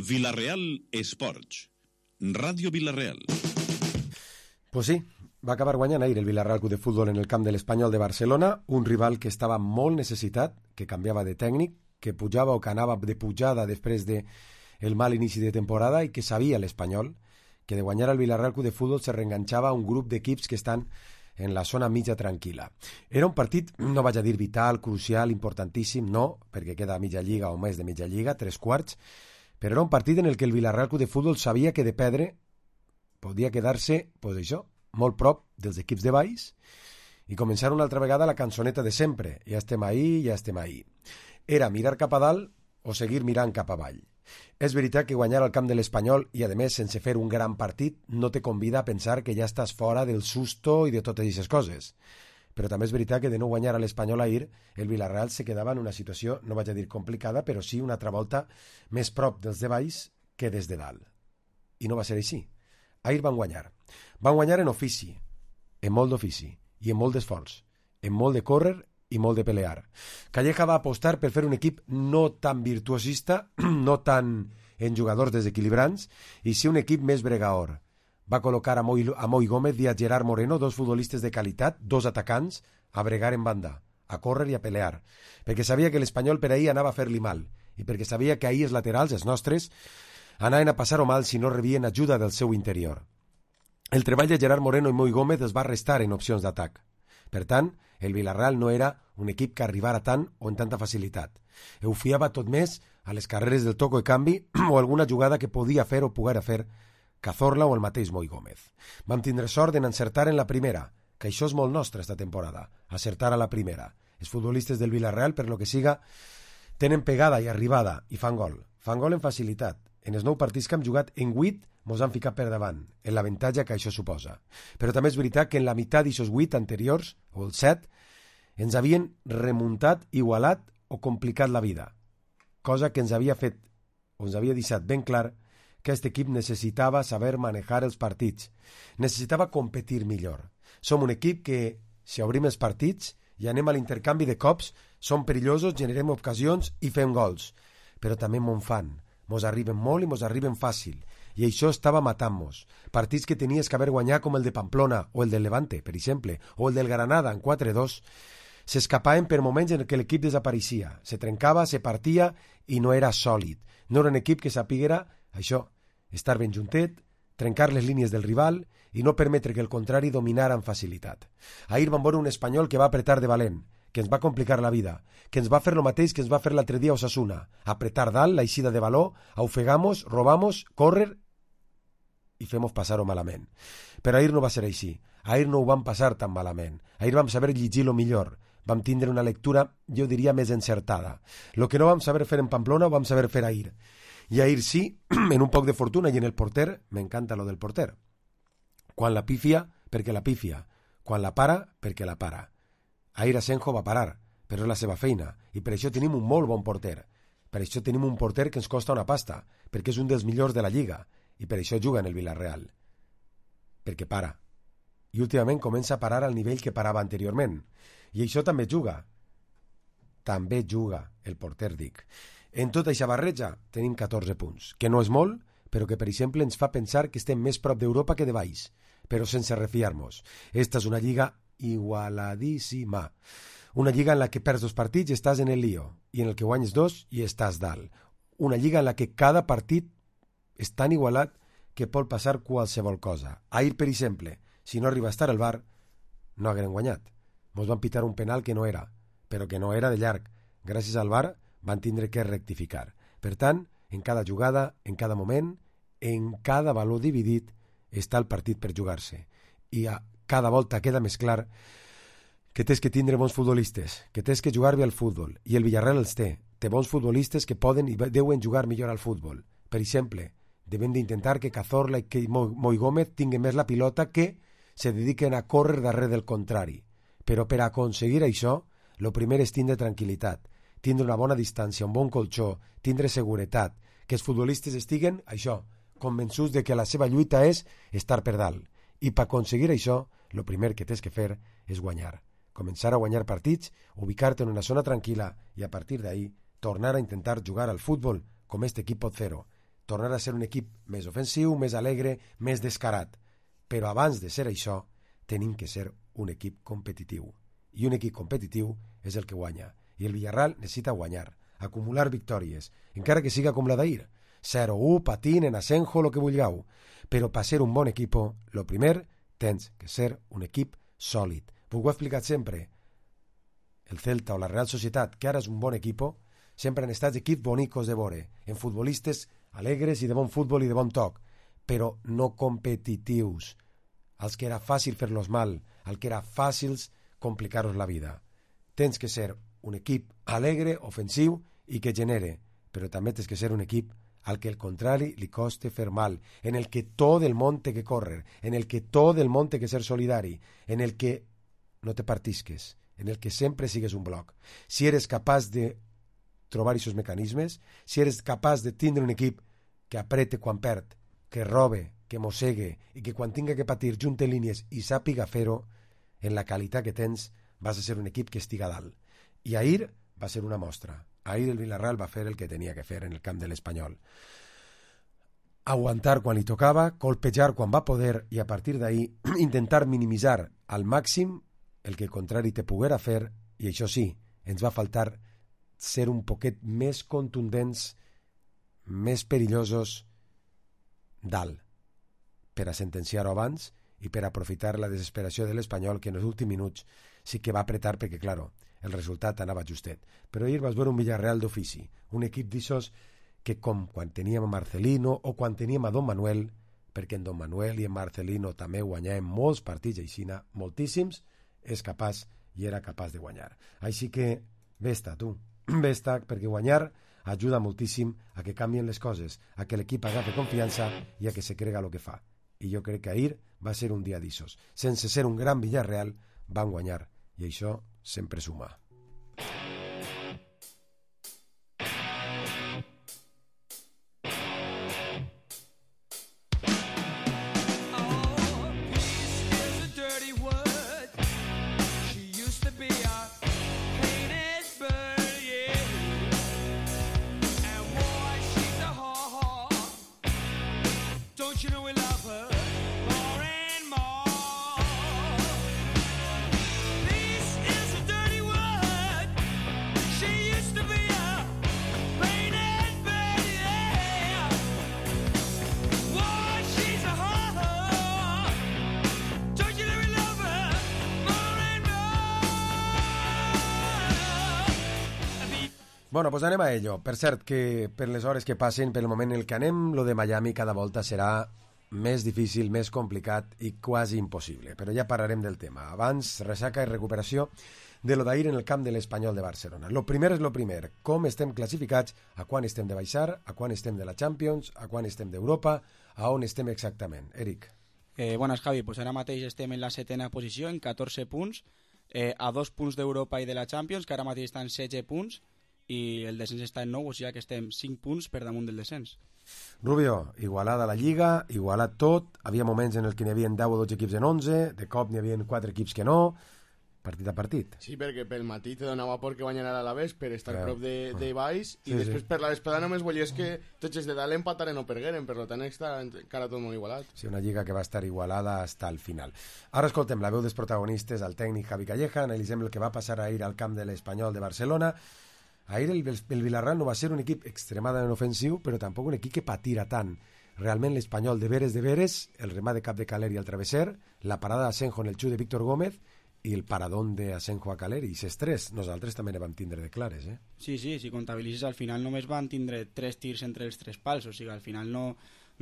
Vila-real Esports, Ràdio Vila-real. Pues sí, va acabar guanyant ahir el Villarreal Club de Futbol en el camp de l'Espanyol de Barcelona, un rival que estava molt necessitat, que canviava de tècnic, que pujava o que anava de pujada després del mal inici de temporada i que sabia l'Espanyol que de guanyar el Villarreal Club de Futbol se reenganxava un grup d'equips que estan en la zona mitja tranquil·la. Era un partit, no vaig a dir vital, crucial, importantíssim, no, perquè queda mitja lliga o més de mitja lliga, 3/4, però era un partit en el que el Villarreal Club de Futbol sabia que de perdre podia quedar-se, pues això, molt prop dels equips de baix i començar una altra vegada la cançoneta de sempre. Ja estem ahí. Era mirar cap a dalt o seguir mirant cap avall. És veritat que guanyar al camp de l'Espanyol i, a més, sense fer un gran partit, no te convida a pensar que ja estàs fora del susto i de totes aquestes coses. Però també és veritat que de no guanyar a l'Espanyol ahir, el Villarreal se quedava en una situació, no vaig a dir complicada, però sí una altra volta més prop dels de baix que des de dalt. I no va ser així. Ahir van guanyar. Van guanyar en ofici, en molt d'ofici, i en molt d'esforç, en molt de córrer i molt de pelear. Calleja va apostar per fer un equip no tan virtuosista, no tan en jugadors desequilibrants, i sí un equip més bregaor. Va col·locar a Moi Gómez i a Gerard Moreno, dos futbolistes de qualitat, dos atacants, a bregar en banda, a córrer i a pelear, perquè sabia que l'Espanyol per ahir anava a fer-li mal, i perquè sabia que ahir els laterals, els nostres, anaven a passar-ho mal si no rebien ajuda del seu interior. El treball de Gerard Moreno i Moi Gómez es va restar en opcions d'atac. Per tant, el Villarreal no era un equip que arribara tant o en tanta facilitat. Ho fiava tot més a les carreres del toco de canvi o alguna jugada que podia fer o poguera fer Cazorla o el mateix Moi Gómez. Vam tindre sort en encertar en la primera, que això és molt nostre esta temporada, acertar a la primera. Els futbolistes del Villarreal, per lo que siga, tenen pegada i arribada i fan gol. Fan gol en facilitat. En els 9 partits que hem jugat, en 8 mos han ficat per davant, en l'avantatge que això suposa. Però també és veritat que en la meitat d'aquests 8 anteriors, o els 7, ens havien remuntat, igualat o complicat la vida. Cosa que ens havia fet, o ens havia deixat ben clar, que aquest equip necessitava saber manejar els partits. Necessitava competir millor. Som un equip que, si obrim els partits i anem a l'intercanvi de cops, som perillosos, generem ocasions i fem gols. Però també m'on fan. Mos arriben molt i mos arriben fàcil. I això estava matant-nos. Partits que tenies que haver guanyat com el de Pamplona o el del Levante, per exemple, o el del Granada en 4-2, s'escapaven per moments en què l'equip desapareixia. Se trencava, se partia i no era sòlid. No era un equip que sapiguera això, estar ben juntet, trencar les línies del rival i no permetre que el contrari dominara amb facilitat. Ahir vam veure un Espanyol que va apretar de valent, que ens va complicar la vida, que ens va fer el mateix que ens va fer l'altre dia a Osasuna, apretar dalt, la eixida de valor, ofegamos, robamos, córrer i fem passar-ho malament. Però ahir no va ser així. Ahir no ho vam passar tan malament. Ahir vam saber llegir-lo millor. Vam tindre una lectura, jo diria, més encertada. Lo que no vam saber fer en Pamplona ho vam saber fer ahir. I ahir sí, en un poc de fortuna i en el porter, m'encanta lo del porter. Quan la pifia, perquè la pifia. Quan la para, perquè la para. Ahir Asenjo va parar, però és la seva feina, i per això tenim un molt bon porter. Per això tenim un porter que ens costa una pasta, perquè és un dels millors de la Lliga, i per això juga en el Villarreal. Perquè para. I últimament comença a parar al nivell que parava anteriorment. I això també juga. També juga el porter, dic. En tota aquesta barreja tenim 14 punts, que no és molt, però que, per exemple, ens fa pensar que estem més prop d'Europa que de baix, però sense refiar-nos. Esta és una lliga igualadíssima. Una lliga en la que perds 2 partits i estàs en el lío, i en el que guanyes 2 i estàs dalt. Una lliga en la que cada partit és tan igualat que pot passar qualsevol cosa. Ahir, per exemple, si no arriba a estar al VAR, no hagueren guanyat. Mos van pitar un penal que no era, però que no era de llarg. Gràcies al VAR van tindre que rectificar. Per tant, en cada jugada, en cada moment, en cada valor dividit, està el partit per jugar-se. I a cada volta queda més clar que tens que tindre bons futbolistes, que tens que jugar bé al futbol, i el Villarreal els té. Té bons futbolistes que poden i deuen jugar millor al futbol. Per exemple, devem d'intentar que Cazorla i que Moi Gómez tinguin més la pilota, que se dediquen a córrer darrere del contrari. Però per aconseguir això, lo primer és tindre tranquil·litat, tindre una bona distància, un bon colxó, tindre seguretat, que els futbolistes estiguen, això, convençuts de que la seva lluita és estar per dalt. I per aconseguir això, el primer que tens que fer és guanyar. Començar a guanyar partits, ubicar-te en una zona tranquil·la i a partir d'ahí tornar a intentar jugar al futbol com aquest equip pot fer-ho. tornar a ser un equip més ofensiu, més alegre, més descarat. Però abans de ser això, tenim que ser un equip competitiu. I un equip competitiu és el que guanya. I el Villarreal necessita guanyar, acumular victòries, encara que siga com la d'ahir. 0-1, patinen, Asenjo, lo que vulgueu. Però per ser un bon equip, lo primer, tens que ser un equip sòlid. Ho he explicat sempre. El Celta o la Real Societat, que ara és un bon equip, sempre han estat equips bonicos de veure, en futbolistes alegres i de bon futbol i de bon toc, però no competitius, als que era fàcil fer-los mal, al que era fàcil complicar-los la vida. Tens que ser un equip alegre, ofensiu i que genere, però també tens que ser un equip al que el contrari li coste fer mal, en el que tot el món té que córrer, en el que tot el món té que ser solidari, en el que no te partisques, en el que sempre sigues un bloc. Si eres capaç de trobar aquests mecanismes, si eres capaç de tindre un equip que aprete quan perd, que robe, que mossegue i que quan tinga que patir junte línies i sàpiga fer-ho, en la qualitat que tens vas a ser un equip que estiga dalt. I ahir va ser una mostra. Ahir el Villarreal va fer el que tenia que fer en el camp de l'Espanyol. Aguantar quan li tocava, colpejar quan va poder i a partir d'ahir intentar minimitzar al màxim el que el contrari te poguera fer, i això sí, ens va faltar ser un poquet més contundents, més perillosos dalt, per a sentenciar-ho abans i per aprofitar la desesperació de l'Espanyol, que en els últims minuts sí que va apretar perquè, claro, el resultat anava justet. Però ahir vas veure un Villarreal d'ofici, un equip d'ixos que com quan teníem a Marcelino o quan teníem a Don Manuel, perquè en Don Manuel i en Marcelino també guanyàvem molts partits aixina, moltíssims, és capaç i era capaç de guanyar. Així que vés-te, tu, vés-te, perquè guanyar ajuda moltíssim a que canvien les coses, a que l'equip agafi confiança i a que se crega el que fa. I jo crec que ahir va ser un dia d'ixos. Sense ser un gran Villarreal, van guanyar, i això sempre suma. Bueno, pues anem a ello. Per cert, que per les hores que passen, per el moment en el que anem, lo de Miami cada volta serà més difícil, més complicat i quasi impossible. Però ja parlarem del tema. Abans, ressaca i recuperació de lo d'ahir en el camp de l'Espanyol de Barcelona. Lo primer és lo primer. Com estem classificats, a quan estem de baixar, a quan estem de la Champions, a quan estem d'Europa, a on estem exactament. Eric. Buenas, Javi. Pues ara mateix estem en la 7ª posició, en 14 punts, a 2 punts d'Europa i de la Champions, que ara mateix estan 16 punts, i el descens està en 9, o sigui que estem 5 punts per damunt del descens. Rubio, igualada la Lliga, igualat tot, havia moments en el que n'hi havia 10 o 12 equips en 11, de cop n'hi havia 4 equips que no, partit a partit. Sí, perquè pel matí te donava por que guanyara l'Alavés per estar prop de baix, i Sí, després sí. per la vesprada només volies que tots els de dalt empataren o pergueren, per tant està encara tot molt igualat. Sí, una lliga que va estar igualada hasta el final. Ara escoltem la veu dels protagonistes, el tècnic Javi Calleja, analitzem el que va passar ahir al camp de l'Espanyol de Barcelona. Ahir el Villarreal no va ser un equip extremadament ofensiu, però tampoc un equip que patira tant. Realment l'Espanyol de veres, el remat de cap de Caleri al travesser, la parada d'Asenjo en el xut de Víctor Gómez i el paradón d'Asenjo a Caleri. I ses tres, nosaltres també ne vam tindre de clares, eh? Sí, si comptabilitzes, al final només van tindre 3 tirs entre els 3 pals, o sigui, al final no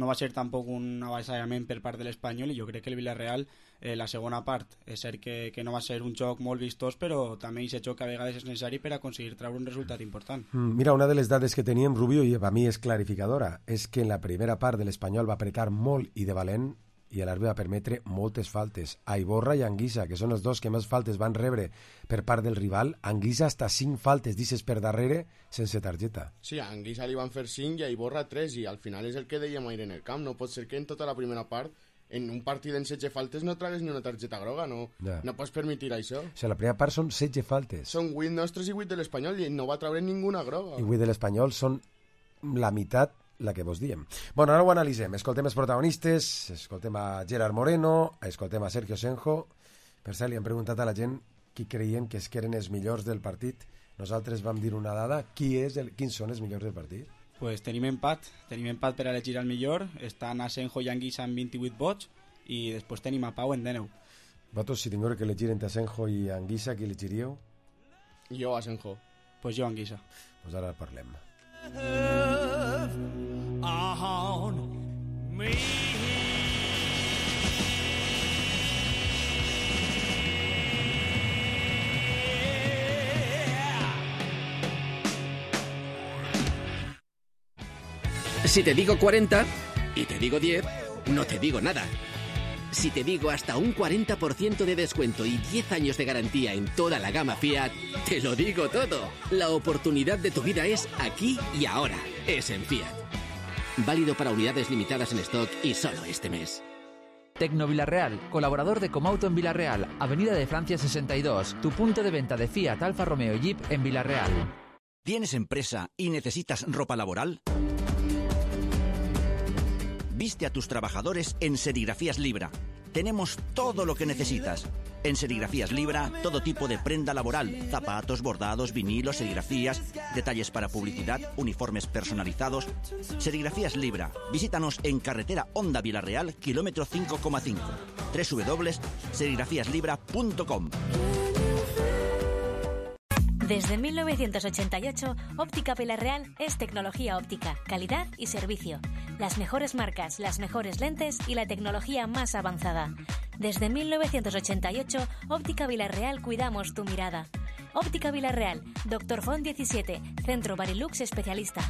va ser tampoc un avasallament per part de l'Espanyol, i jo crec que el Villarreal, la segona part, és cert que no va ser un joc molt vistós, però també aquest joc a vegades és necessari per aconseguir treure un resultat important. Mira, una de les dades que teníem, Rubio, i a mi és clarificadora, és que en la primera part de l'Espanyol va apretar molt i de valent, i a l'àrbitre va permetre moltes faltes. A Iborra i Anguissa, que són els dos que més faltes van rebre per part del rival, Anguissa hasta 5 faltes d'ixes per darrere sense targeta. Sí, a Anguissa li van fer 5 i a Iborra 3, i al final és el que dèiem ahir en el camp. No pot ser que en tota la primera part, en un partit en 16 faltes, no tragues ni una targeta groga, no pots permetre això. O sigui, la primera part són 16 faltes. Són 8 nostres i 8 de l'Espanyol, i no va treure ninguna groga. I 8 de l'Espanyol són la meitat la que vos diem. Bueno, ara ho analitzem. Escoltem els protagonistes, escoltem a Gerard Moreno, escoltem a Sergio Senjo. Per cert, li hem preguntat a la gent qui creien que eren els millors del partit. Nosaltres vam dir una dada. Quins són els millors del partit? Pues tenim empat per elegir el millor. Estan Asenjo i Anguissa amb 28 vots i després tenim a Pau en 19. Vosaltres, si tingueu que elegir entre Asenjo i Anguissa, qui elegiríeu? Jo, Asenjo. Pues jo, Anguissa. Pues ara parlem. Si te digo 40 y te digo 10, no te digo nada. Si te digo hasta un 40% de descuento y 10 años de garantía en toda la gama Fiat, te lo digo todo. La oportunidad de tu vida es aquí y ahora. Es en Fiat. Válido para unidades limitadas en stock y solo este mes. Tecno Villarreal, colaborador de Comauto en Villarreal, Avenida de Francia 62, tu punto de venta de Fiat, Alfa Romeo y Jeep en Villarreal. ¿Tienes empresa y necesitas ropa laboral? Viste a tus trabajadores en Serigrafías Libra. Tenemos todo lo que necesitas. En Serigrafías Libra, todo tipo de prenda laboral, zapatos, bordados, vinilos, serigrafías, detalles para publicidad, uniformes personalizados. Serigrafías Libra. Visítanos en carretera Honda Villarreal, kilómetro 5,5. www.serigrafíaslibra.com. Desde 1988, Óptica Villarreal es tecnología óptica, calidad y servicio. Las mejores marcas, las mejores lentes y la tecnología más avanzada. Desde 1988, Óptica Villarreal cuidamos tu mirada. Óptica Villarreal, Dr. Font 17, Centro Barilux especialista.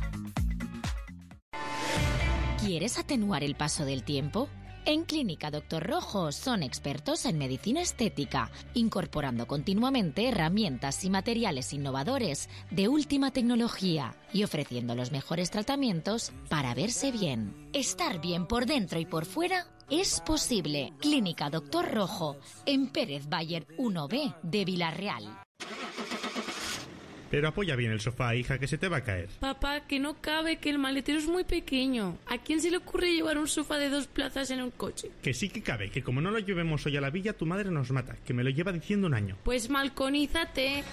¿Quieres atenuar el paso del tiempo? En Clínica Dr. Rojo son expertos en medicina estética, incorporando continuamente herramientas y materiales innovadores de última tecnología y ofreciendo los mejores tratamientos para verse bien. Estar bien por dentro y por fuera es posible. Clínica Dr. Rojo, en Pérez Bayer 1B de Villarreal. Pero apoya bien el sofá, hija, que se te va a caer. Papá, que no cabe, que el maletero es muy pequeño. ¿A quién se le ocurre llevar un sofá de 2 plazas en un coche? Que sí que cabe, que como no lo llevemos hoy a la villa, tu madre nos mata, que me lo lleva diciendo un año. Pues malconízate.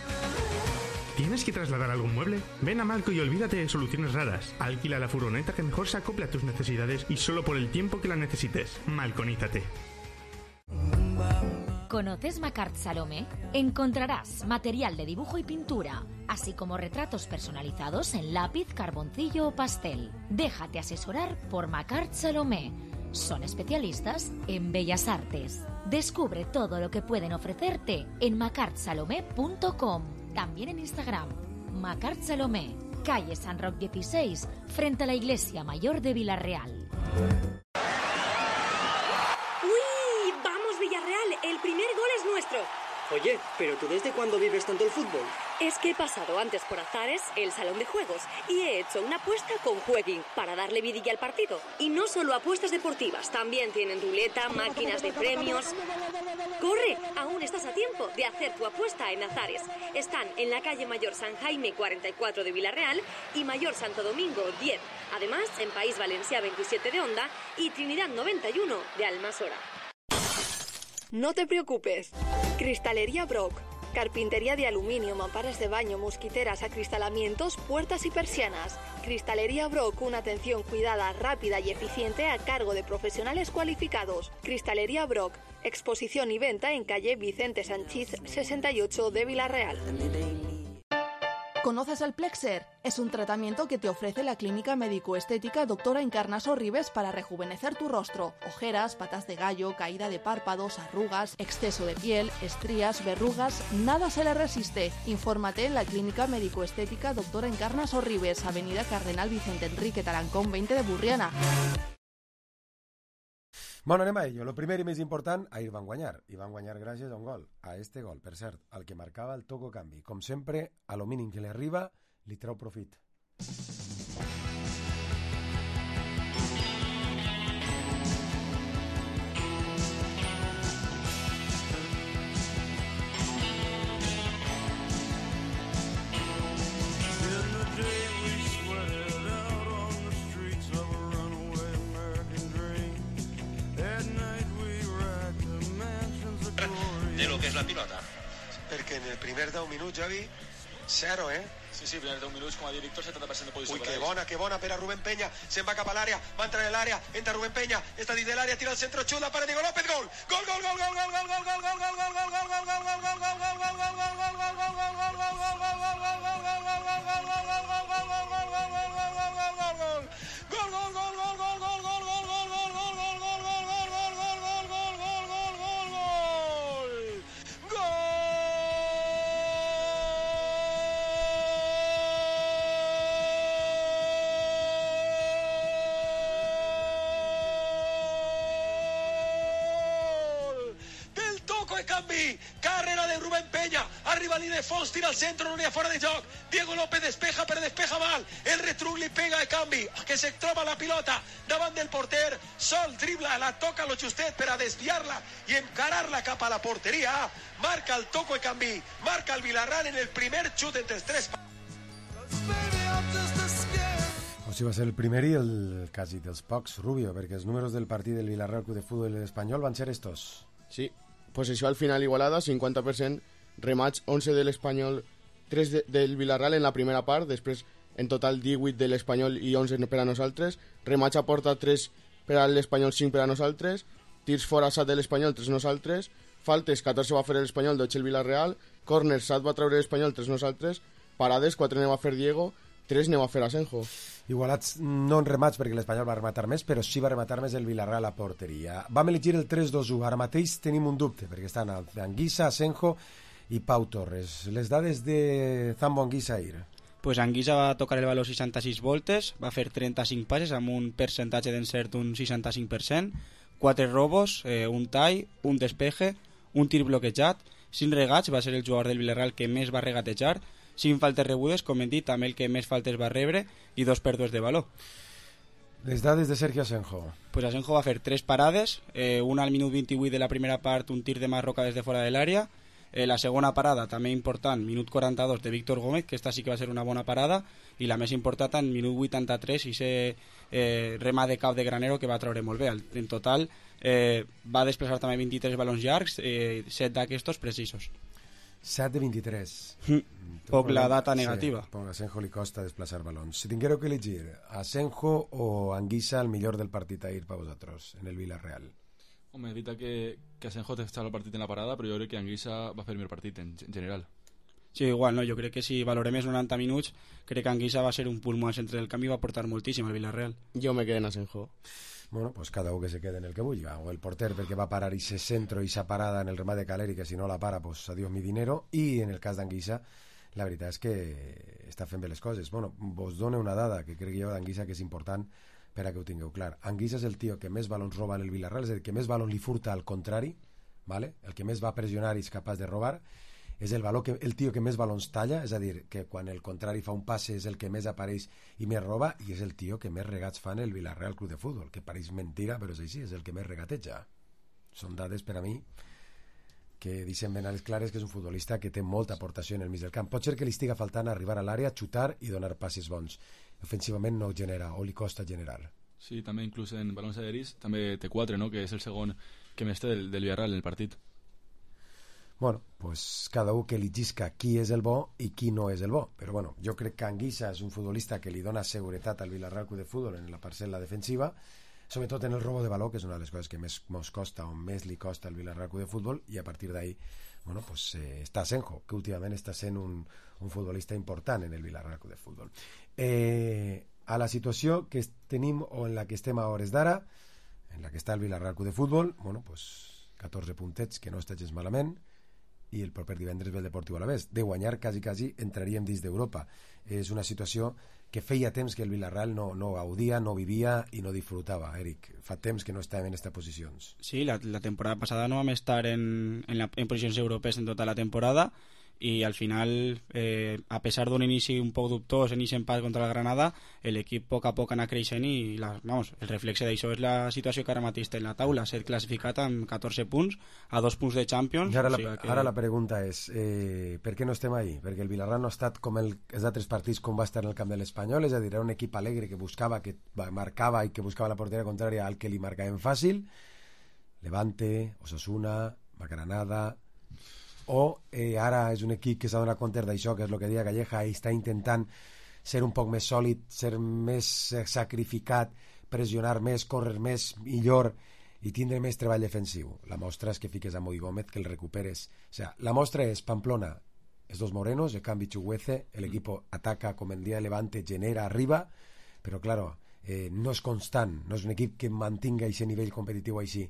¿Tienes que trasladar algún mueble? Ven a Malco y olvídate de soluciones raras. Alquila la furgoneta que mejor se acople a tus necesidades y solo por el tiempo que la necesites. Malconízate. ¿Conoces Macart Salomé? Encontrarás material de dibujo y pintura, así como retratos personalizados en lápiz, carboncillo o pastel. Déjate asesorar por Macart Salomé. Son especialistas en bellas artes. Descubre todo lo que pueden ofrecerte en macartsalomé.com. También en Instagram. Macart Salomé, calle San Roc 16, frente a la Iglesia Mayor de Villarreal. El primer gol es nuestro. Oye, ¿pero tú desde cuándo vives tanto el fútbol? Es que he pasado antes por Azares, el salón de juegos, y he hecho una apuesta con Jueguin para darle vidilla al partido. Y no solo apuestas deportivas, también tienen ruleta, máquinas de premios. ¡Corre! Aún estás a tiempo de hacer tu apuesta en Azares. Están en la calle Mayor San Jaime 44 de Villarreal y Mayor Santo Domingo 10. Además, en País Valencià 27 de Onda y Trinidad 91 de Almasora. No te preocupes. Cristalería Brock. Carpintería de aluminio, mamparas de baño, mosquiteras, acristalamientos, puertas y persianas. Cristalería Brock, una atención cuidada, rápida y eficiente a cargo de profesionales cualificados. Cristalería Brock, exposición y venta en calle Vicente Sanchís 68 de Villarreal. ¿Conoces el Plexer? Es un tratamiento que te ofrece la clínica médico-estética Doctora Encarnaso Ribes para rejuvenecer tu rostro. Ojeras, patas de gallo, caída de párpados, arrugas, exceso de piel, estrías, verrugas, nada se le resiste. Infórmate en la clínica médico-estética Doctora Encarnaso Ribes, avenida Cardenal Vicente Enrique Tarancón 20 de Burriana. Bueno, anem a ello. Lo primer i més important, ahir van guanyar. I van guanyar gràcies a un gol. A este gol, per cert, al que marcava el Toco Canvi. Com sempre, a lo mínim que li arriba, li treu profit. de lo que es la pilota. Perquè en el primer 10 minuts, Javi, 0, Sí, primer 10 minuts, com a director, 70% de posició. Ui, que bona per a Rubén Peña. Se'n va cap a l'àrea, va entrar en l'àrea, entra Rubén Peña, està dins de l'àrea, tira el centro, xuta para Diego López, gol! Gol, gol, gol, gol, gol, gol, gol, gol, gol, gol, gol, gol, gol, carrera de Rubén Peña, arriba línia de fons, tira al centre, no n'hi ha fora de joc, Diego López despeja, però despeja mal, el retruc li pega de canvi, que se troba la pilota davant del porter, sol dribla, la toca lo justet per a desviar-la i encarar-la cap a la porteria, marca el toco de canvi, marca el Villarreal en el primer xut entre els tres. O sigui, va ser el primer i el quasi dels pocs, Rubio, perquè els números del partit del Villarreal Club de Fútbol Espanyol van ser estos. Sí, possessió al final igualada, 50%, remats 11 de l'Espanyol, 3 del Villarreal en la primera part, després en total 18 de l'Espanyol i 11 per a nosaltres, remats a porta 3 per a l'Espanyol, 5 per a nosaltres, tirs fora 7 de l'Espanyol, 3 nosaltres, faltes 14 va fer l'Espanyol, 12 el Villarreal, corners 7 va treure l'Espanyol, 3 nosaltres, parades 4 ne va fer Diego, 3 ne va fer Asenjo. Igualats no en remats perquè l'Espanyol va rematar més, però sí va rematar més el Villarreal a porteria. Vam elegir el 3-2-1. Ara mateix tenim un dubte, perquè estan Anguissa, Asenjo i Pau Torres. Les dades de Zambo Anguissa ahir. Pues Anguissa va tocar el valor 66 voltes, va fer 35 passes amb un percentatge d'encert d'un 65%, 4 robos, un tall, un despeje, un tir bloquejat, 5 regats, va ser el jugador del Villarreal que més va regatejar, 5 faltes rebudes, com hem dit, també el que més faltes va rebre, i 2 pèrdues de valor. Les dades de Sergio Asenjo. Pues Asenjo va fer 3 parades, una al minut 28 de la primera part, un tir de Marroca des de fora de l'àrea, la segona parada, també important, minut 42 de Víctor Gómez, que esta sí que va ser una bona parada, i la més important en minut 83, i ser rema de cap de Granero, que va treure molt bé. En total va desplaçar també 23 balons llargs, 7 d'aquestos precisos. 7 de 23. Poc la data negativa. Sí, a Asenjo li costa desplaçar balons. Si tinguéreu que elegir Asenjo o Anguissa, el millor del partit ahir per vosaltres, en el Villarreal. Home, és veritat que Asenjo té el partit en la parada, però jo crec que Anguissa va fer el millor partit en general. Sí, igual, no? Jo crec que si valorem els 90 minuts, crec que Anguissa va ser un pulmó al centre del camp i va aportar moltíssim al Villarreal. Jo me quedé en Asenjo. Bueno, pues cada uno que se quede en el que vulgui, o el porter perquè va parar ese centro i esa parada en el remat de Caleri, que si no la para, pues adiós mi dinero, i en el cas d'Anguissa la veritat és que està fent bé les coses. Bueno, vos dono una dada que crec jo d'Anguissa que és important per a que ho tingueu clar. Anguissa és el tio que més balons roba en el Villarreal, és a dir, que més balons li furta al contrari, ¿vale? El que més va pressionar i és capaç de robar, és el tio que més balons talla, és a dir, que quan el contrari fa un passe és el que més apareix i més roba, i és el tio que més regats fa en el Villarreal Club de Fútbol, que pareix mentira, però és així, és el que més regateja. Són dades per a mi que deixen ben a les clares que és un futbolista que té molta aportació en el mig del camp. Pot ser que li estiga faltant arribar a l'àrea, xutar i donar passes bons. Ofensivament no genera, o li costa generar. Sí, també inclús en balons aeris també té 4, no? Que és el segon que més té del Villarreal en el partit. Bueno, pues cada un que eligisca qui és el bo i qui no és el bo. Però bueno, jo crec que Anguissa és un futbolista que li dona seguretat al Villarreal Club de Fútbol en la parcel·la defensiva, sobretot en el robo de baló, que és una de les coses que més mos costa o més li costa al Villarreal Club de Fútbol, i a partir d'ahí, bueno, pues està Asenjo, que últimament està sent un futbolista important en el Villarreal Club de Fútbol. A la situació que tenim o en la que estem a hores d'ara, en la que està el Villarreal Club de Fútbol, bueno, pues 14 puntets, que no està gens malament, i el proper divendres ve el Deportiu Alavés. De guanyar, quasi entraríem dins d'Europa. És una situació que feia temps que el Villarreal no gaudia, no vivia i no disfrutava, Eric. Fa temps que no estàvem en aquestes posicions. Sí, la temporada passada no vam estar en posicions europees en tota la temporada, i al final, a pesar d'un inici un poc dubtós, en inici empat contra el Granada, l'equip a poc anar creixent, i el reflexe d'això és la situació que ara mateix té en la taula, ser classificat amb 14 punts, a 2 punts de Champions. Ara la pregunta és, per què no estem ahí? Perquè el Villarreal no ha estat com els altres partits com va estar en el camp de l'Espanyol, és a dir, era un equip alegre que buscava, que marcava i que buscava la porteria contrària al que li marcaven fàcil. Levante, Osasuna, Granada, o ara és un equip que s'ha donat compte d'això, que és el que deia Calleja, i està intentant ser un poc més sòlid, ser més sacrificat, pressionar més, córrer més, millor, i tindre més treball defensiu. La mostra és que fiques a Moi Gómez, que el recuperes. O sea, la mostra és Pamplona, es dos morenos, el cambio Chuguece, el equipo ataca como el día de Levante, genera arriba, pero claro, no és constant, no és un equip que mantinga aquest nivell competitiu així.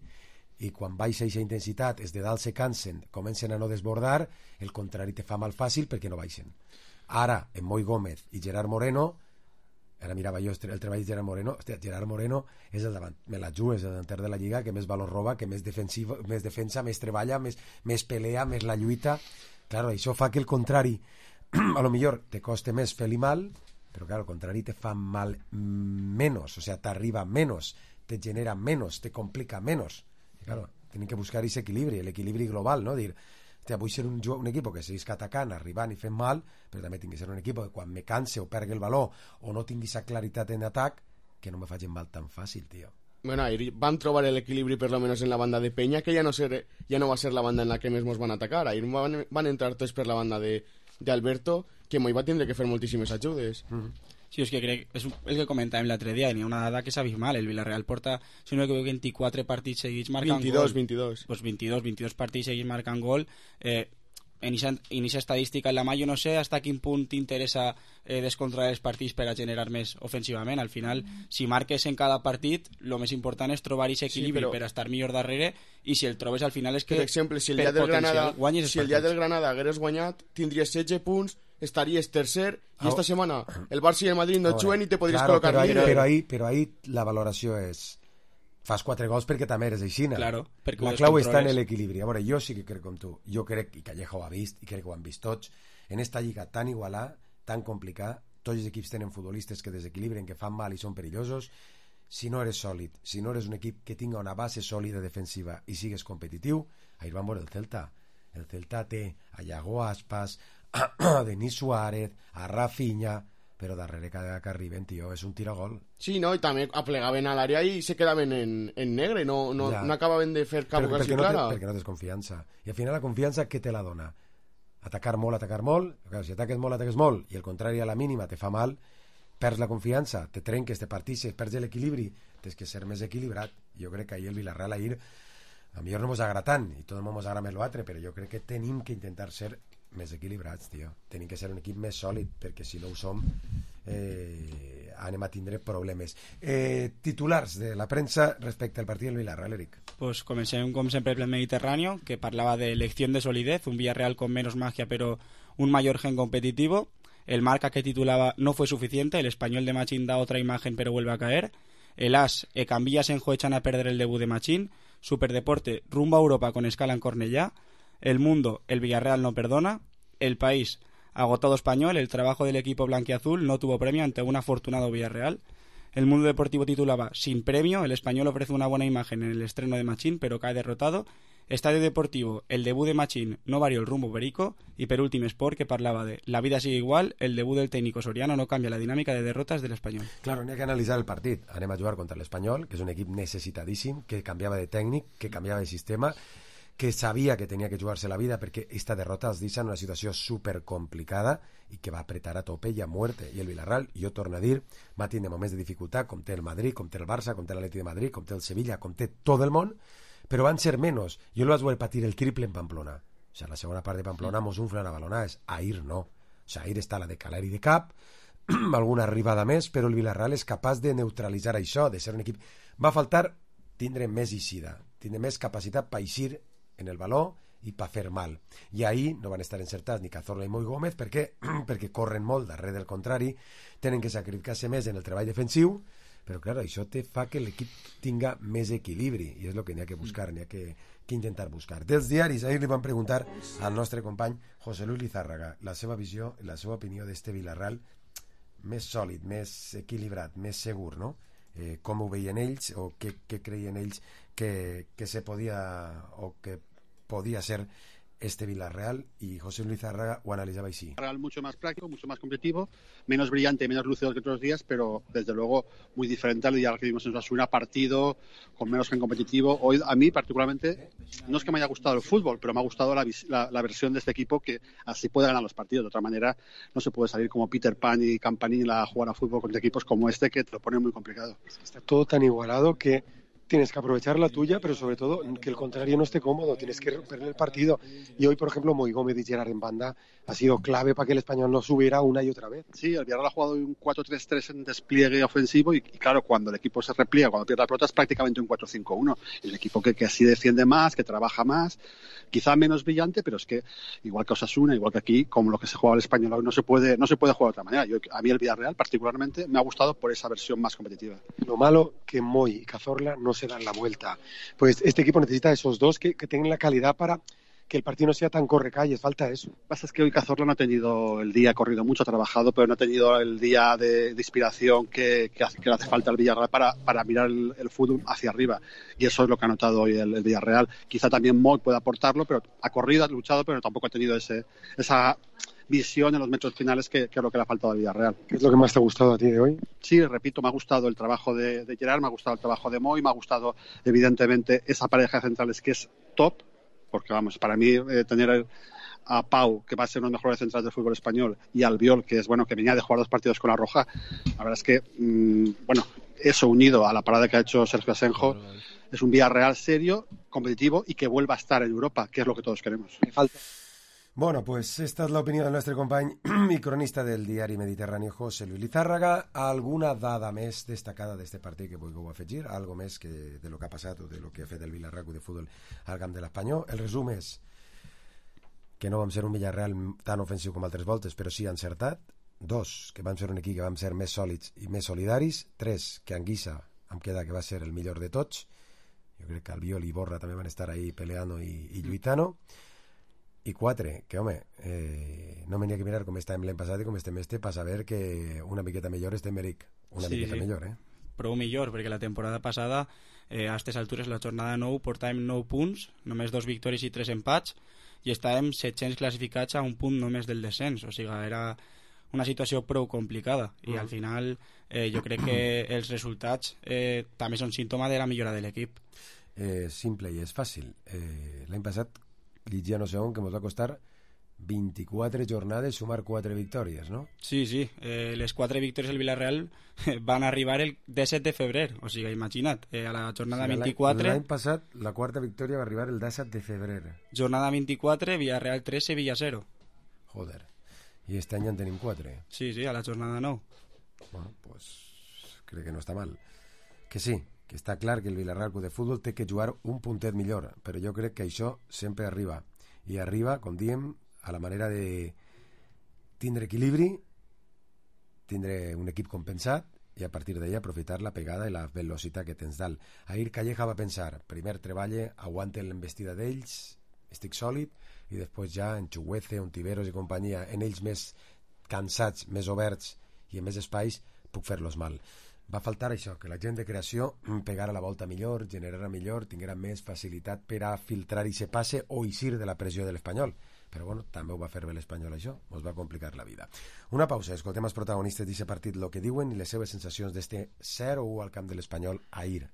I quan baixa aquesta intensitat, els de dalt se cansen, comencen a no desbordar, el contrari te fa mal fàcil perquè no baixen. Ara, en Moi Gómez i Gerard Moreno, ara mirava jo el treball de Gerard Moreno, hòstia, Gerard Moreno és el davant, me la juga, és el davanter de la Lliga que més valor roba, que més defensa, més treballa, més pelea, més la lluita. Claro, això fa que el contrari a lo millor te coste més fer-li mal, però claro, el contrari te fa mal menos, o sea, t'arriba menos, te genera menos, te complica menos. Y claro, tienen que buscar ese equilibri, l'equilibri global, no? Dir, hòstia, vull ser un equip que seguís atacant, arribant i fent mal, però també tinc que ser un equip que quan me canse o pergui el valor o no tingui esa claritat en atac, que no me facin mal tan fàcil, tío. Bueno, ahí van trobar el equilibri per lo menos en la banda de Peña, que ya no va a ser la banda en la que més mos van atacar. Ahí van entrar tots per la banda de Alberto, que Moi va tindre que fer moltíssimes ajudes. Sí, és que crec, és el que comentàvem l'altre dia, hi ha una dada que és abismal. El Villarreal porta, si no m'equivoco, 24 partits seguits marcant 22. Pues 22 partits seguits marcant gol. En aquesta estadística en la mà, jo no sé hasta quin punt t'interessa descontrolar els partits per a generar més ofensivament. Al final, si marques en cada partit, el més important és trobar aquest equilibri per a estar millor darrere, i si el trobes al final és que per exemple, si el dia del Granada hagueres guanyat, tindries 16 punts, estaries tercer, i esta setmana el Barça i el Madrid no juguen i te podries col·locar líder. Però ahí la valoració és fas 4 gols perquè també eres aixina. Claro, la clau està en l'equilibri. A veure, jo sí que crec com tu. Jo crec, i Calleja ho ha vist, i crec que ho han vist tots, en esta lliga tan igualada, tan complicada, tots els equips tenen futbolistes que desequilibren, que fan mal i són perillosos. Si no eres sòlid, si no eres un equip que tinga una base sòlida defensiva i sigues competitiu, ahir van veure el Celta. El Celta té a Iago Aspas, a Denis Suárez, a Rafinha, però darrere cada que arriben, tio, és un tiragol. Sí, no, i també aplegaven a l'àrea i se quedaven en negre, no acabaven de fer cap ocasió clara. Perquè no tens confiança. I al final la confiança, què te la dona? Atacar molt. Clar, si ataques molt, i el contrari a la mínima te fa mal, perds la confiança, te trenques, te partixes, perds l'equilibri, tens que ser més equilibrat. Jo crec que ahir el Villarreal a millor no mos agrada tant, i tot el món mos agrada més l'altre, però jo crec que tenim que intentar ser més equilibrats, tio. Tenim que ser un equip més sòlid, perquè si no ho som anem a tindre problemes. Titulars de la premsa respecte al partit del Villarreal, Eric. Pues comencem com sempre per el Mediterráneo, que parlava de lección de solidez, un Villarreal con menos magia pero un mayor gen competitivo. El Marca, que titulaba "No fue suficiente", el Español de Machín da otra imagen pero vuelve a caer. El AS, Cambillas en echan a perder el debut de Machín. Superdeporte, rumbo a Europa con escala en Cornellá. El Mundo, el Villarreal no perdona. El País, agotado Español, el trabajo del equipo blanquiazul no tuvo premio ante un afortunado Villarreal. El Mundo Deportivo titulaba "Sin premio, el Español ofrece una buena imagen en el estreno de Machín pero cae derrotado". Estadio Deportivo, el debut de Machín no varió el rumbo perico. Y per últim Sport, que parlava de "La vida sigue igual, el debut del técnico Soriano no cambia la dinámica de derrotas del Español". Claro, n'hi ha que analitzar el partit. Anem a jugar contra l'Espanyol, que és un equip necessitadíssim, que canviava de tècnic, que canviava de sistema, que sabia que tenia que jugar-se la vida perquè esta derrota els deixa en una situació supercomplicada i que va apretar a tope i a muerte. I el Villarreal, jo torno a dir, va tindre moments de dificultat, com té el Madrid, com té el Barça, com té l'Atleti de Madrid, com té el Sevilla, com té tot el món, però van ser menys. Jo el vaig veure patir el triple en Pamplona. O sea, la segona part de Pamplona mos unflen a balonades. Ahir no. O sea, ahir està la de Caleri de cap, alguna arribada més, però el Villarreal és capaç de neutralitzar això, de ser un equip... Va faltar tindre més eixida, tindre més capacitat per eixir en el baló i per fer mal. I ahir no van estar encertats ni Cazorla ni Moi Gómez perquè corren molt darrere del contrari, tenen que sacrificar-se més en el treball defensiu, però clar, això te fa que l'equip tinga més equilibri i és el que n'hi ha que buscar, n'hi ha que intentar buscar. Dels diaris, ahir li van preguntar al nostre company José Luis Lizárraga la seva visió, la seva opinió d'este Villarreal més sòlid, més equilibrat, més segur, no? Com ho veien ells o què creien ells que se podia o que podia ser este Villarreal, y José Luis Zárraga ho analizaba així. Real mucho más práctico, mucho más competitivo, menos brillante, menos lúcido que otros días, pero desde luego muy diferente al día que vimos en Osasuna, partido con menos gen competitivo. Hoy a mí particularmente, no es que me haya gustado el fútbol, pero me ha gustado la versión de este equipo que así puede ganar los partidos. De otra manera no se puede salir como Peter Pan y Campanilla a jugar a fútbol contra equipos como este, que te lo pone muy complicado. Está todo tan igualado que tienes que aprovechar la tuya, pero sobre todo que el contrario no esté cómodo, tienes que romper el partido. Y hoy, por ejemplo, Moi Gómez y Gerard en banda ha sido clave para que el Español no subiera una y otra vez. Sí, el Villarreal ha jugado un 4-3-3 en despliegue ofensivo y claro, cuando el equipo se repliega, cuando pierde la pelota es prácticamente un 4-5-1. El equipo que así defiende más, que trabaja más, quizá menos brillante, pero es que igual que Osasuna, igual que aquí, como lo que se juega el Español hoy, no se puede jugar de otra manera. A mí el Villarreal particularmente me ha gustado por esa versión más competitiva. Lo malo que Moi y Cazorla no se dan la vuelta. Pues este equipo necesita esos dos que tengan la calidad para que el partido no sea tan correcalles, falta eso. Lo que pasa es que hoy Cazorla no ha tenido el día, ha corrido mucho, ha trabajado, pero no ha tenido el día de inspiración que le hace falta al Villarreal para mirar el fútbol hacia arriba. Y eso es lo que ha notado hoy el Villarreal. Quizá también Moi puede aportarlo, pero ha corrido, ha luchado, pero tampoco ha tenido esa visión en los metros finales que es lo que le ha faltado al Villarreal. ¿Qué es lo que más te ha gustado a ti de hoy? Sí, repito, me ha gustado el trabajo de Gerard, me ha gustado el trabajo de Moi, me ha gustado evidentemente esa pareja de centrales que es top, porque vamos, para mí tener a Pau, que va a ser uno de los mejores centrales del fútbol español, y Albiol, que es bueno, que venía de jugar 2 partidos con la Roja, la verdad es que eso unido a la parada que ha hecho Sergio Asenjo, es un Villarreal serio, competitivo y que vuelva a estar en Europa, que es lo que todos queremos. Falta. Bueno, pues esta es l'opinió del nostre company i cronista del diari Mediterrani, José Luis Lizárraga. Alguna dada més destacada d'este partit que vulgueu afegir? Algo més que de lo que ha passat o de lo que ha fet el Villarreal de Futbol al camp de l'Espanyol? El resum és que no vam ser un Villarreal tan ofensiu com altres voltes, però sí encertat. 2, que vam ser un equip que vam ser més sòlids i més solidaris. 3, que Anguissa em queda que va ser el millor de tots. Jo crec que Albiol i Borra també van estar ahí peleando i lluitando. I 4, que home, no me n'hi ha que mirar com estàvem l'any passat i com estem per saber que una miqueta millor estem Eric, miqueta millor, Prou millor, perquè la temporada passada a aquestes altures, la jornada 9, portàvem 9 punts, només 2 victòries i 3 empats, i estàvem 700 classificats a un punt només del descens, o sigui, era una situació prou complicada, i al final jo crec que els resultats també són símptoma de la millora de l'equip. Simple i és fàcil. L'any passat llegia no sé on que ens va costar 24 jornades sumar 4 victòries, no? Sí, les 4 victòries del Villarreal van arribar el 17 de febrer, o sigui, imagina't, a la jornada 24... L'any passat la quarta victòria va arribar el 17 de febrer. Jornada 24, Villarreal 3, Sevilla 0. Joder, i este any en tenim 4. Sí, a la jornada 9. Bueno, pues crec que no està mal. Que sí, que està clar que el Villarreal de Futbol té que jugar un puntet millor, però jo crec que això sempre arriba. I arriba, com diem, a la manera de tindre equilibri, tindre un equip compensat i a partir d'ahí aprofitar la pegada i la velocitat que tens dalt. Ahir Calleja va pensar, primer treballe, aguante l'embestida d'ells, estic sòlid, i després ja en Chuguece, Ontiveros i companyia, en ells més cansats, més oberts i en més espais, puc fer-los mal. Va faltar això, que la gent de creació pegara la volta millor, generara millor, tinguera més facilitat per a filtrar i se passe o eixir de la pressió de l'Espanyol. Però bueno, també ho va fer bé l'Espanyol això, ens va complicar la vida. Una pausa, escoltem els protagonistes d'aquest partit lo que diuen i les seves sensacions d'este 0-1 al camp de l'Espanyol ahir.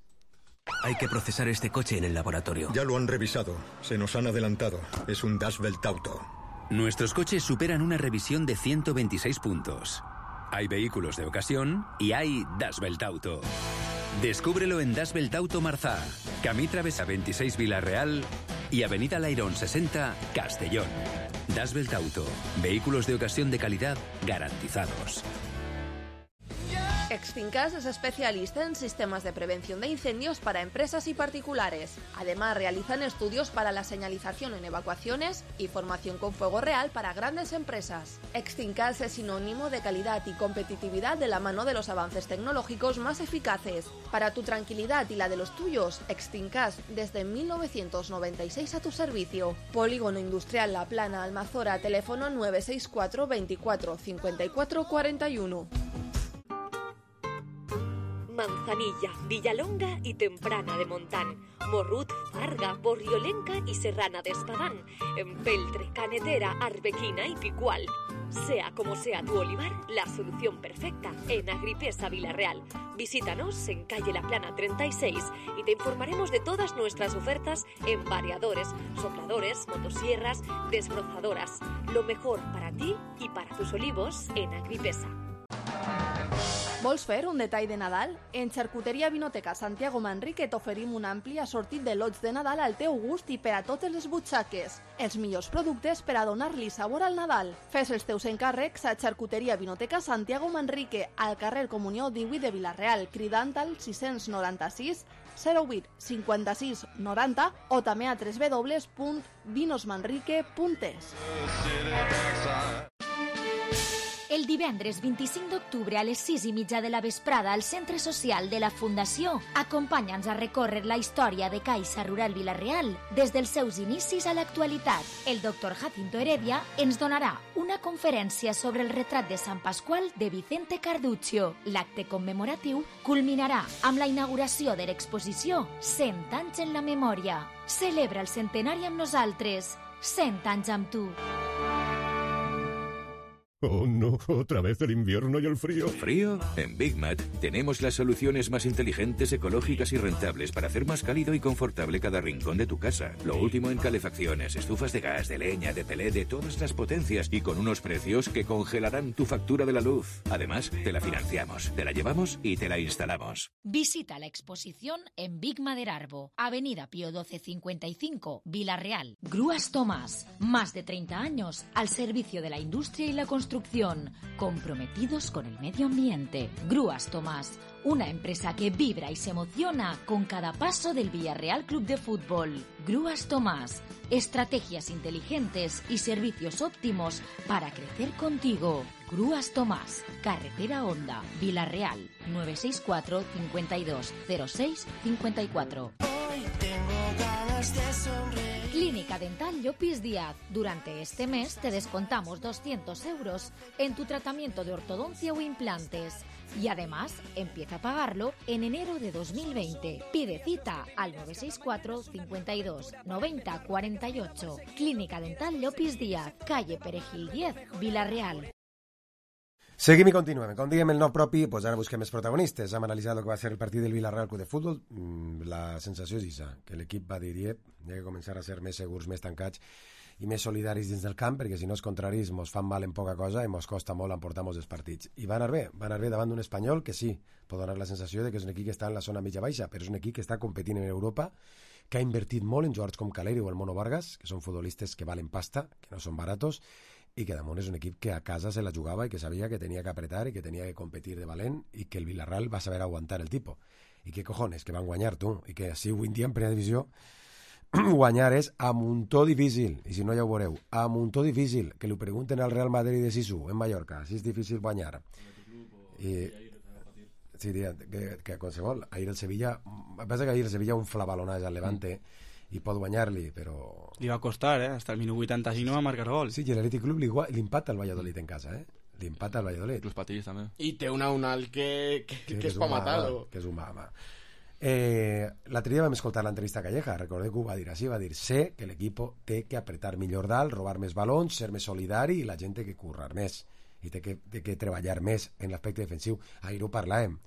Hay que procesar este coche en el laboratorio. Ya lo han revisado, se nos han adelantado. Es un Das Welt Auto. Nuestros coches superan una revisión de 126 puntos. Hay vehículos de ocasión y hay Das Welt Auto. Descúbrelo en Das Welt Auto Marzá, Camí Travesa 26 Villarreal y Avenida Lairón 60 Castellón. Das Welt Auto, vehículos de ocasión de calidad garantizados. Extincas es especialista en sistemas de prevención de incendios para empresas y particulares. Además, realizan estudios para la señalización en evacuaciones y formación con fuego real para grandes empresas. Extincas es sinónimo de calidad y competitividad de la mano de los avances tecnológicos más eficaces. Para tu tranquilidad y la de los tuyos, Extincas desde 1996 a tu servicio. Polígono Industrial La Plana, Almazora, teléfono 964 24 54 41. Manzanilla, Villalonga y Temprana de Montán, Morrut, Farga, Borriolenca y Serrana de Espadán, Empeltre, Canetera, Arbequina y Picual. Sea como sea tu olivar, la solución perfecta en Agripesa Villarreal. Visítanos en calle La Plana 36 y te informaremos de todas nuestras ofertas en variadores, sopladores, motosierras, desbrozadoras. Lo mejor para ti y para tus olivos en Agripesa. Vols fer un detall de Nadal? En Xarcuteria Vinoteca Santiago Manrique t'oferim un ampli assortit de lots de Nadal al teu gust i per a totes les butxaques. Els millors productes per a donar-li sabor al Nadal. Fes els teus encàrrecs a Xarcuteria Vinoteca Santiago Manrique, al carrer Comunió 18 de Vilareal, cridant al 696 08 56 90 o també a www.vinosmanrique.es. El divendres 25 d'octubre a les 6:30 de la vesprada al Centre Social de la Fundació, acompanya'ns a recórrer la història de Caixa Rural Vilareal des dels seus inicis a l'actualitat. El doctor Jacinto Heredia ens donarà una conferència sobre el retrat de Sant Pasqual de Vicente Carduccio. L'acte commemoratiu culminarà amb la inauguració de l'exposició 100 anys en la memòria. Celebra el centenari amb nosaltres. 100 anys amb tu. Oh no, otra vez el invierno y el frío. ¿Frío? En Big Mat tenemos las soluciones más inteligentes, ecológicas y rentables para hacer más cálido y confortable cada rincón de tu casa. Lo último en calefacciones, estufas de gas, de leña, de pelé, de todas las potencias y con unos precios que congelarán tu factura de la luz. Además, te la financiamos, te la llevamos y te la instalamos. Visita la exposición en Big Maderarbo, Avenida Pío XII 55, Vilareal. Grúas Tomás, más de 30 años al servicio de la industria y la construcción, comprometidos con el medio ambiente. Grúas Tomás, una empresa que vibra y se emociona con cada paso del Villarreal Club de Fútbol. Grúas Tomás, estrategias inteligentes y servicios óptimos para crecer contigo. Grúas Tomás, Carretera Honda, Vilareal, 964 52 06 54. Hoy tengo ganas de sonreír. Clínica Dental Llopis Díaz. Durante este mes te descontamos 200 euros en tu tratamiento de ortodoncia o implantes. Y además, empieza a pagarlo en enero de 2020. Pide cita al 964 52 90 48. Clínica Dental Llopis Díaz, calle Perejil 10, Vilareal. Seguim i continuem. Com diguem el no propi, doncs ara busquem els protagonistes. Hem analitzat el que va ser el partit del Villarreal Club de Futbol. La sensació és aquesta, que l'equip va dir, hi ha que començar a ser més segurs, més tancats i més solidaris dins del camp, perquè si no els contraris ens fan mal en poca cosa i ens costa molt emportar molts els partits. I van anar bé davant d'un Espanyol que sí, pot donar la sensació de que és un equip que està en la zona mitja-baixa, però és un equip que està competint en Europa, que ha invertit molt en jugadors com Caleri o el Mono Vargas, que són futbolistes que valen pasta, que no són baratos, i que damunt és un equip que a casa se la jugava i que sabia que tenia que apretar i que tenia que competir de valent i que el Villarreal va saber aguantar el tipus. I que cojones, que van guanyar, tu, i que si avui en dia en primera divisió guanyar és a muntó difícil, i si no ja ho veureu, a muntó difícil, que li pregunten al Real Madrid de Sisu en Mallorca, si és difícil guanyar. I sí, que qualsevol, ahir el Sevilla, passa que ahir el Sevilla un flabalonàs al Levante i pot guanyar-li, però... Li va costar, hasta el minut 85 no va marcar gol. Sí, i l'Atlètic Club li empata al Valladolid en casa, li empata al Valladolid. Los patillos també. I té una Unal que és pa matar-lo. Que és un mama. L'altre dia vam escoltar l'entrevista a Calleja, recordeu que ho va dir així, va dir, sé que l'equip té que apretar millor dalt, robar més balons, ser més solidari i la gent té que currar més i té que treballar més en l'aspecte defensiu. Ahir ho parlàvem,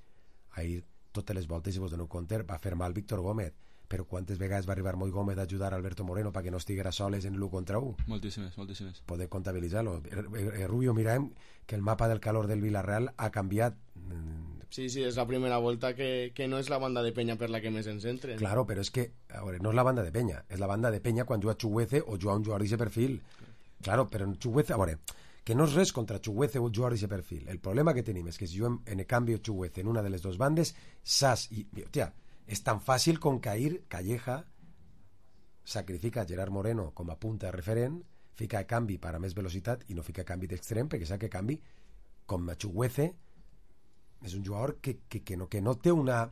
ahir totes les voltes, si vos doneu compte, va fer mal Víctor Gómez, però quantes vegades va arribar Moi Gómez a ajudar a Alberto Moreno perquè no estiguera soles en l'1 contra 1? Moltíssimes. Poder comptabilitzar-lo. Rubio, mirem que el mapa del calor del Villarreal ha canviat. Sí, és la primera volta que no és la banda de penya per la que més ens entren. Claro, però és que, a veure, no és la banda de penya, és la banda de penya quan juga Chuguece o juga un jugador d'aquest perfil. Claro, però en Chuguece, a veure, que no és res contra Chuguece o un jugador d'aquest perfil. El problema que tenim és que si juguem en el canvi Chuguece en una de les dues bandes, Sass i... Hòstia, és tan fàcil com que ahir Calleja sacrifica a Gerard Moreno com a punta de referent, fica a canvi per a més velocitat i no fica a canvi d'extrem perquè sap que canvi com a Chuguece és un jugador que no té una...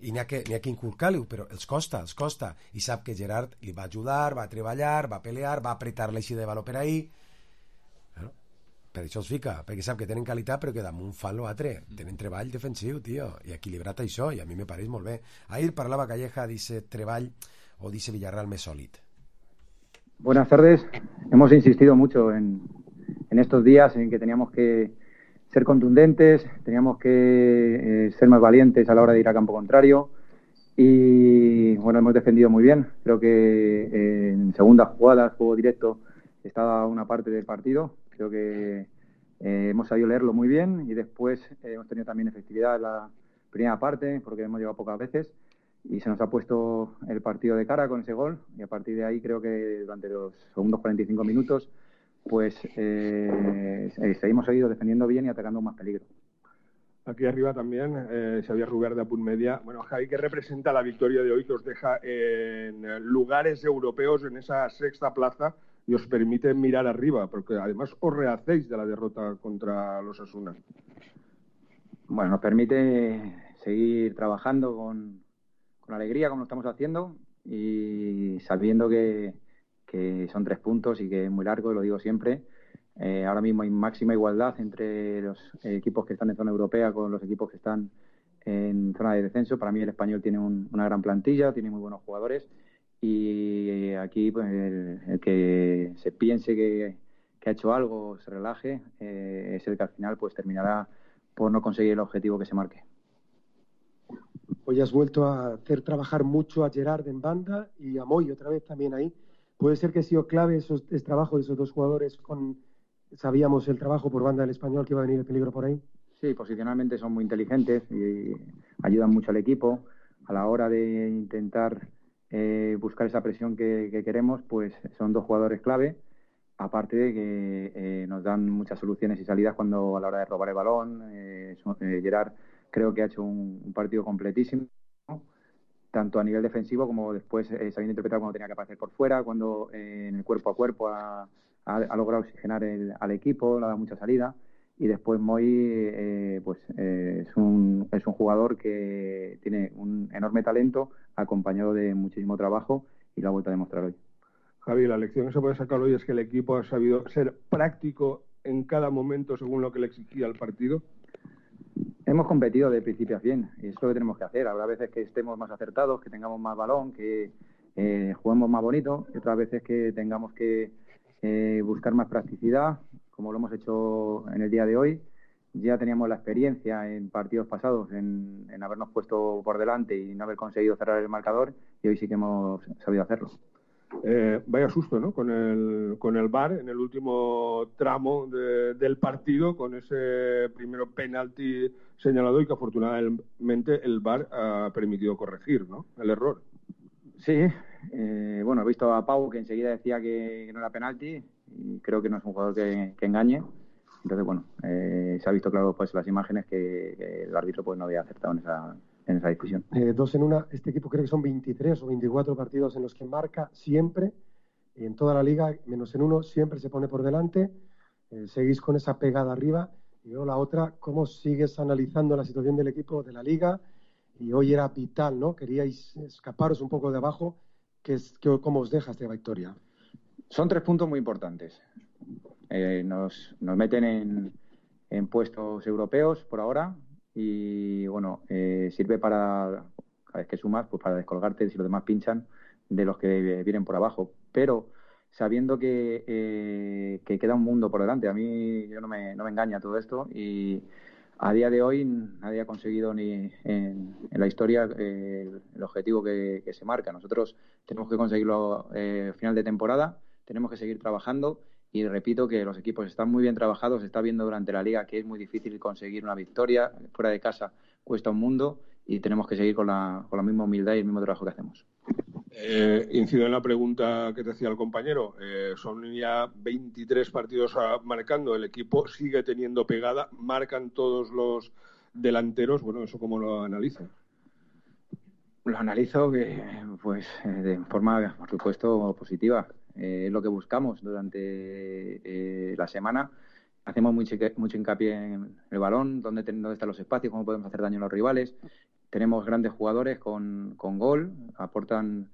i n'hi ha que inculcar-li, però els costa i sap que Gerard li va ajudar, va treballar, va pelear, va apretar l'eixida de valor per ahir. Per això es fica, perquè sap que tenen qualitat però que damunt fan l'altre, tenen treball defensiu, tio, i equilibrat això, i a mi me pareix molt bé. Ahir parlava Calleja d'aquest treball o d'aquest Villarreal més sòlid. Buenas tardes. Hemos insistido mucho en estos días en que teníamos que ser contundentes, teníamos que ser más valientes a la hora de ir a campo contrario y bueno, hemos defendido muy bien. Creo que en segundas jugadas, juego directo, estaba una parte del partido. Creo que hemos sabido leerlo muy bien y después hemos tenido también efectividad en la primera parte porque hemos llegado pocas veces y se nos ha puesto el partido de cara con ese gol y a partir de ahí creo que durante los segundos 45 minutos pues seguimos seguido defendiendo bien y atacando más peligro. Aquí arriba también Xavier Rubert de Apunt Media. Bueno, Javi, ¿qué representa la victoria de hoy que os deja en lugares europeos en esa sexta plaza y os permite mirar arriba? Porque además os rehacéis de la derrota contra los Osasuna. Bueno, nos permite seguir trabajando con alegría como lo estamos haciendo y sabiendo que son 3 puntos y que es muy largo, lo digo siempre. Ahora mismo hay máxima igualdad entre los equipos que están en zona europea con los equipos que están en zona de descenso. Para mí el Español tiene una gran plantilla, tiene muy buenos jugadores y aquí pues, el que se piense que ha hecho algo, se relaje, es el que al final pues terminará por no conseguir el objetivo que se marque. Hoy has vuelto a hacer trabajar mucho a Gerard en banda y a Moy otra vez también ahí. ¿Puede ser que ha sido clave el trabajo de esos 2 jugadores? Sabíamos el trabajo por banda del Español, que iba a venir el peligro por ahí. Sí, posicionalmente son muy inteligentes y ayudan mucho al equipo. A la hora de intentar buscar esa presión que queremos, pues son 2 jugadores clave. Aparte de que nos dan muchas soluciones y salidas cuando a la hora de robar el balón. Gerard creo que ha hecho un partido completísimo, tanto a nivel defensivo como después sabiendo interpretar cuando tenía que aparecer por fuera, cuando en el cuerpo a cuerpo ha logrado oxigenar al equipo, le ha dado mucha salida. Y después Moy pues es un jugador que tiene un enorme talento acompañado de muchísimo trabajo y lo ha vuelto a demostrar hoy. Javi, la lección que se puede sacar hoy es que el equipo ha sabido ser práctico en cada momento según lo que le exigía el partido. Hemos competido de principio a fin y eso es lo que tenemos que hacer. Habrá veces que estemos más acertados, que tengamos más balón, que juguemos más bonito y otras veces que tengamos que buscar más practicidad, como lo hemos hecho en el día de hoy. Ya teníamos la experiencia en partidos pasados en habernos puesto por delante y no haber conseguido cerrar el marcador y hoy sí que hemos sabido hacerlo. Vaya susto, ¿no? Con el VAR en el último tramo del partido, con ese primero penalti señalado y que afortunadamente el VAR ha permitido corregir, ¿no? El error. Sí, bueno, he visto a Pau que enseguida decía que no era penalti y creo que no es un jugador que engañe. Entonces, bueno, se ha visto claro pues las imágenes que el árbitro pues no había acertado en esa discusión. 2 en 1, este equipo creo que son 23 o 24 partidos en los que marca siempre, y en toda la liga, menos en 1, siempre se pone por delante. Seguís con esa pegada arriba. Y luego la otra, ¿cómo sigues analizando la situación del equipo de la liga? Y hoy era vital, ¿no? Queríais escaparos un poco de abajo. ¿Cómo os deja esta victoria? Son 3 puntos muy importantes. Nos meten en puestos europeos por ahora y bueno, sirve para, cada vez que sumas, pues para descolgarte si los demás pinchan de los que vienen por abajo, pero sabiendo que queda un mundo por delante. A mí no me engaña todo esto y a día de hoy nadie ha conseguido ni en la historia el objetivo que se marca. Nosotros tenemos que conseguirlo final de temporada, tenemos que seguir trabajando. Y repito que los equipos están muy bien trabajados, se está viendo durante la liga que es muy difícil conseguir una victoria, fuera de casa cuesta un mundo y tenemos que seguir con la misma humildad y el mismo trabajo que hacemos. Incido en la pregunta que te hacía el compañero, son ya 23 partidos marcando, el equipo sigue teniendo pegada, marcan todos los delanteros, bueno, ¿eso cómo lo analizas? Lo analizo pues de forma, por supuesto, positiva. Es lo que buscamos durante la semana. Hacemos mucho hincapié en el balón, dónde están los espacios, cómo podemos hacer daño a los rivales. Tenemos grandes jugadores con gol, aportan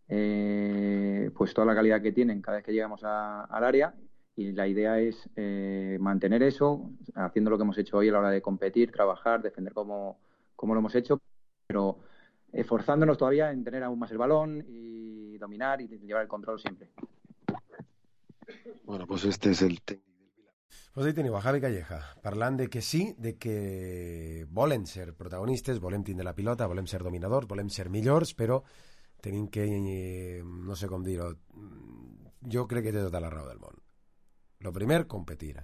pues toda la calidad que tienen cada vez que llegamos al área y la idea es mantener eso, haciendo lo que hemos hecho hoy a la hora de competir, trabajar, defender como lo hemos hecho, pero esforzándonos todavía en tener aún más el balón y dominar y llevar el control siempre. Bueno, pues este és el tècnic. Pues ahí teniu a Javi Calleja, parlant de que sí, de que volen ser protagonistes, volem tindre la pilota, volem ser dominadors, volem ser millors, però tenim que, no sé com dir-ho, jo crec que té tota la raó del món. Lo primer, competir.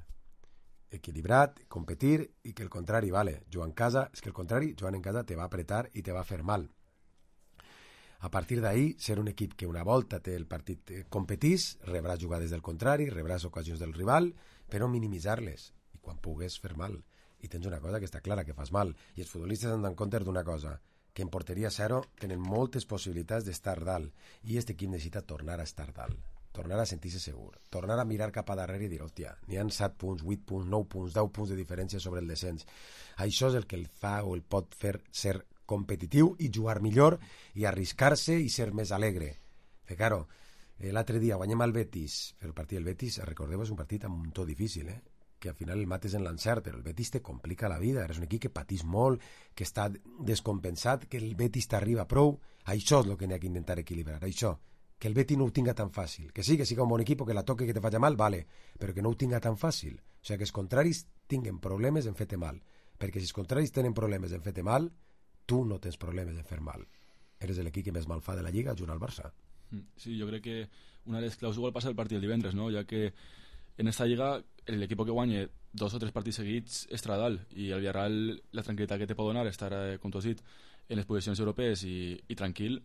Equilibrat, competir, i que el contrari, vale, jugar en casa, és que el contrari, jugant en casa te va apretar i te va fer mal. A partir d'ahí, ser un equip que una volta té el partit competís, rebràs jugades del contrari, rebràs ocasions del rival, però minimitzar-les, i quan pugues fer mal. I tens una cosa que està clara, que fas mal. I els futbolistes han d'anar en compte d'una cosa, que en porteria zero tenen moltes possibilitats d'estar dalt, i aquest equip necessita tornar a estar dalt, tornar a sentir-se segur, tornar a mirar cap a darrere i dir, hòstia, n'hi ha 7 punts, 8 punts, 9 punts, 10 punts de diferència sobre el descens. Això és el que el fa o el pot fer ser competitiu i jugar millor i arriscar-se i ser més alegre. Que, claro, l'altre dia guanyem el Betis, el partit del Betis, recordeu, és un partit amb un to difícil, que al final el mates en l'encert, però el Betis te complica la vida, eres un equip que patís molt, que està descompensat, que el Betis t'arriba prou. Això és el que n'hi ha que intentar equilibrar, això, que el Betis no ho tinga tan fàcil, que siga un bon equip, que la toque, que te faci mal, vale, però que no ho tinga tan fàcil, o sigui, que els contraris tinguen problemes en fer-te mal, perquè si els contraris tenen problemes en fer-te mal, tu no tens problemes en fer mal. Eres l'equip que més mal fa de la Lliga junt al Barça. Sí, yo creo que una de las claus igual pasa el partido del divendres, ¿no? Ya que en esta Lliga el equipo que guanye 2 o 3 partits seguits estarà dalt, i el Villarreal la tranquil·litat que te pot donar estar, com tu has dit, en les posicions europees i tranquil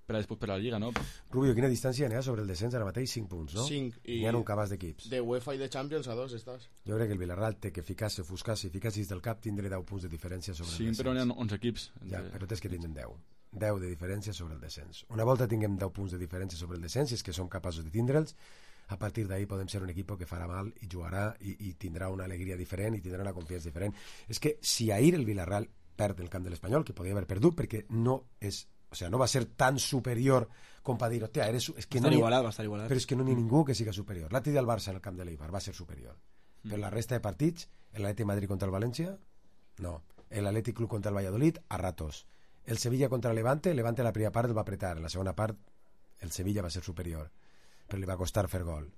per a després per la Lliga, no? Rubio, quina distància n'hi ha sobre el descens ara mateix? 5 punts, no? 5, i n'hi ha un cabàs d'equips. De UEFA i de Champions a 2 estàs. Jo crec que el Villarreal té que ficar-se, ofuscar-se i ficar-se del cap, tindré 10 punts de diferència sobre el descens. Sí, però n'hi ha 11 equips. Ja, però tens que tindre 10. 10 de diferència sobre el descens. Una volta tinguem 10 punts de diferència sobre el descens, i és que som capaços de tindre'ls, a partir d'ahí podem ser un equip que farà mal i jugarà i tindrà una alegria diferent i tindrà una confiança diferent. És que si ahir el Villarreal perd el camp de l'Espanyol, que podia haver perdut perquè no és, o sea, no va ser tan superior com per dir, hòstia, eres... És que va no estar igualat. Però és que no n'hi ha ningú que siga superior. L'altre dia el Barça en el camp de l'Eibar va ser superior. Però la resta de partits, l'Atlètic Madrid contra el València, no. L'Atlètic Club contra el Valladolid, a ratos. El Sevilla contra el Levante la primera part el va apretar, en la segona part el Sevilla va ser superior, però li va costar fer gol.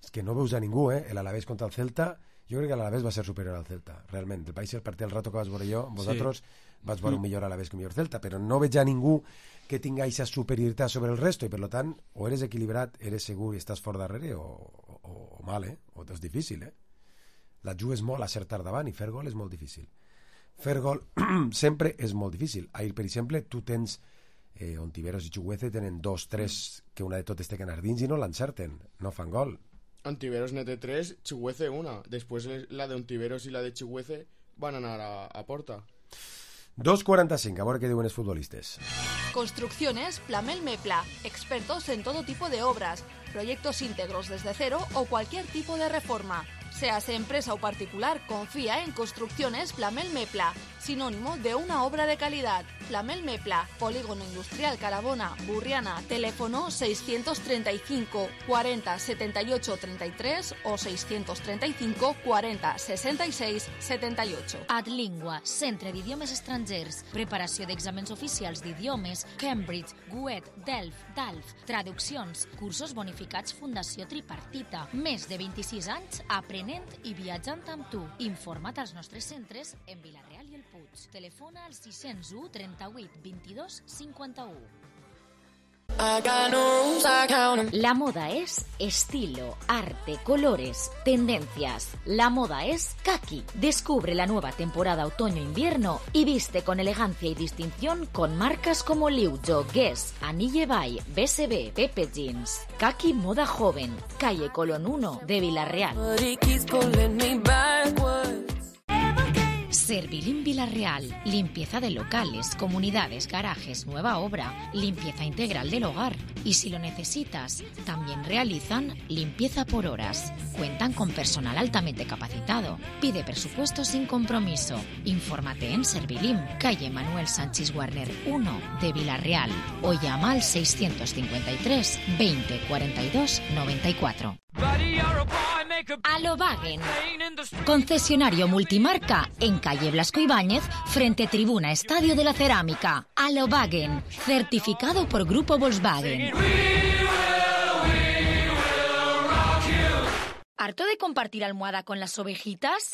És que no veus a ningú, l'Alavés contra el Celta, jo crec que l'Alavés va ser superior al Celta, realment. El país, el partit, el rato que vas veure jo, vosaltres vas veure un millor Alavés que un millor Celta, però no veig a ningú que tinga aquesta superioritat sobre el resto, i per tant, o eres equilibrat, eres segur i estàs fort darrere, o mal, o és difícil, La jugues molt a ser tard davant i fer gol és molt difícil. Fer gol sempre és molt difícil. Ahir, per exemple, tu tens Ontiveros i Chukwueze tenen 2, 3 que una de totes té que anar dins i no l'encerten, no fan gol. Ontiveros net 3, Chukwueze 1. Després la de Ontiveros i la de Chukwueze van anar a porta. 2.45, a veure què diuen els futbolistes. Construcciones Plamel Mepla, expertos en todo tipo de obras, proyectos íntegros desde cero o cualquier tipo de reforma. Seas empresa o particular, confía en Construcciones Plamel Mepla, sinónimo de una obra de calidad. Plamel Mepla, Polígono Industrial Carabona, Burriana, teléfono 635 40 78 33 o 635 40 66 78. Adlingua, Centre d'Idiomes Estrangers, preparació d'exàmens oficials d'idiomes, Cambridge, GUET, Delft, DALF, traduccions, cursos bonificats Fundació Tripartita, més de 26 anys aprenent i viatjant amb tu. Informa't als nostres centres en Vilareal i el Puig. Telefona al 601 38 22 51. La moda es estilo, arte, colores, tendencias. La moda es Kaki. Descubre la nueva temporada otoño-invierno y viste con elegancia y distinción con marcas como Liujo, Guess, Anille Bay, BSB, Pepe Jeans. Kaki Moda Joven, calle Colón 1 de Vilareal. Servilim Vilareal, limpieza de locales, comunidades, garajes, nueva obra, limpieza integral del hogar. Y si lo necesitas, también realizan limpieza por horas. Cuentan con personal altamente capacitado. Pide presupuesto sin compromiso. Infórmate en Servilim, calle Manuel Sánchez Warner 1 de Vilareal o llama al 653 20 42 94. Alobagen, concesionario multimarca en calle Blasco Ibáñez, frente tribuna Estadio de la Cerámica. Alobagen, certificado por Grupo Volkswagen. ¿Harto de compartir almohada con las ovejitas?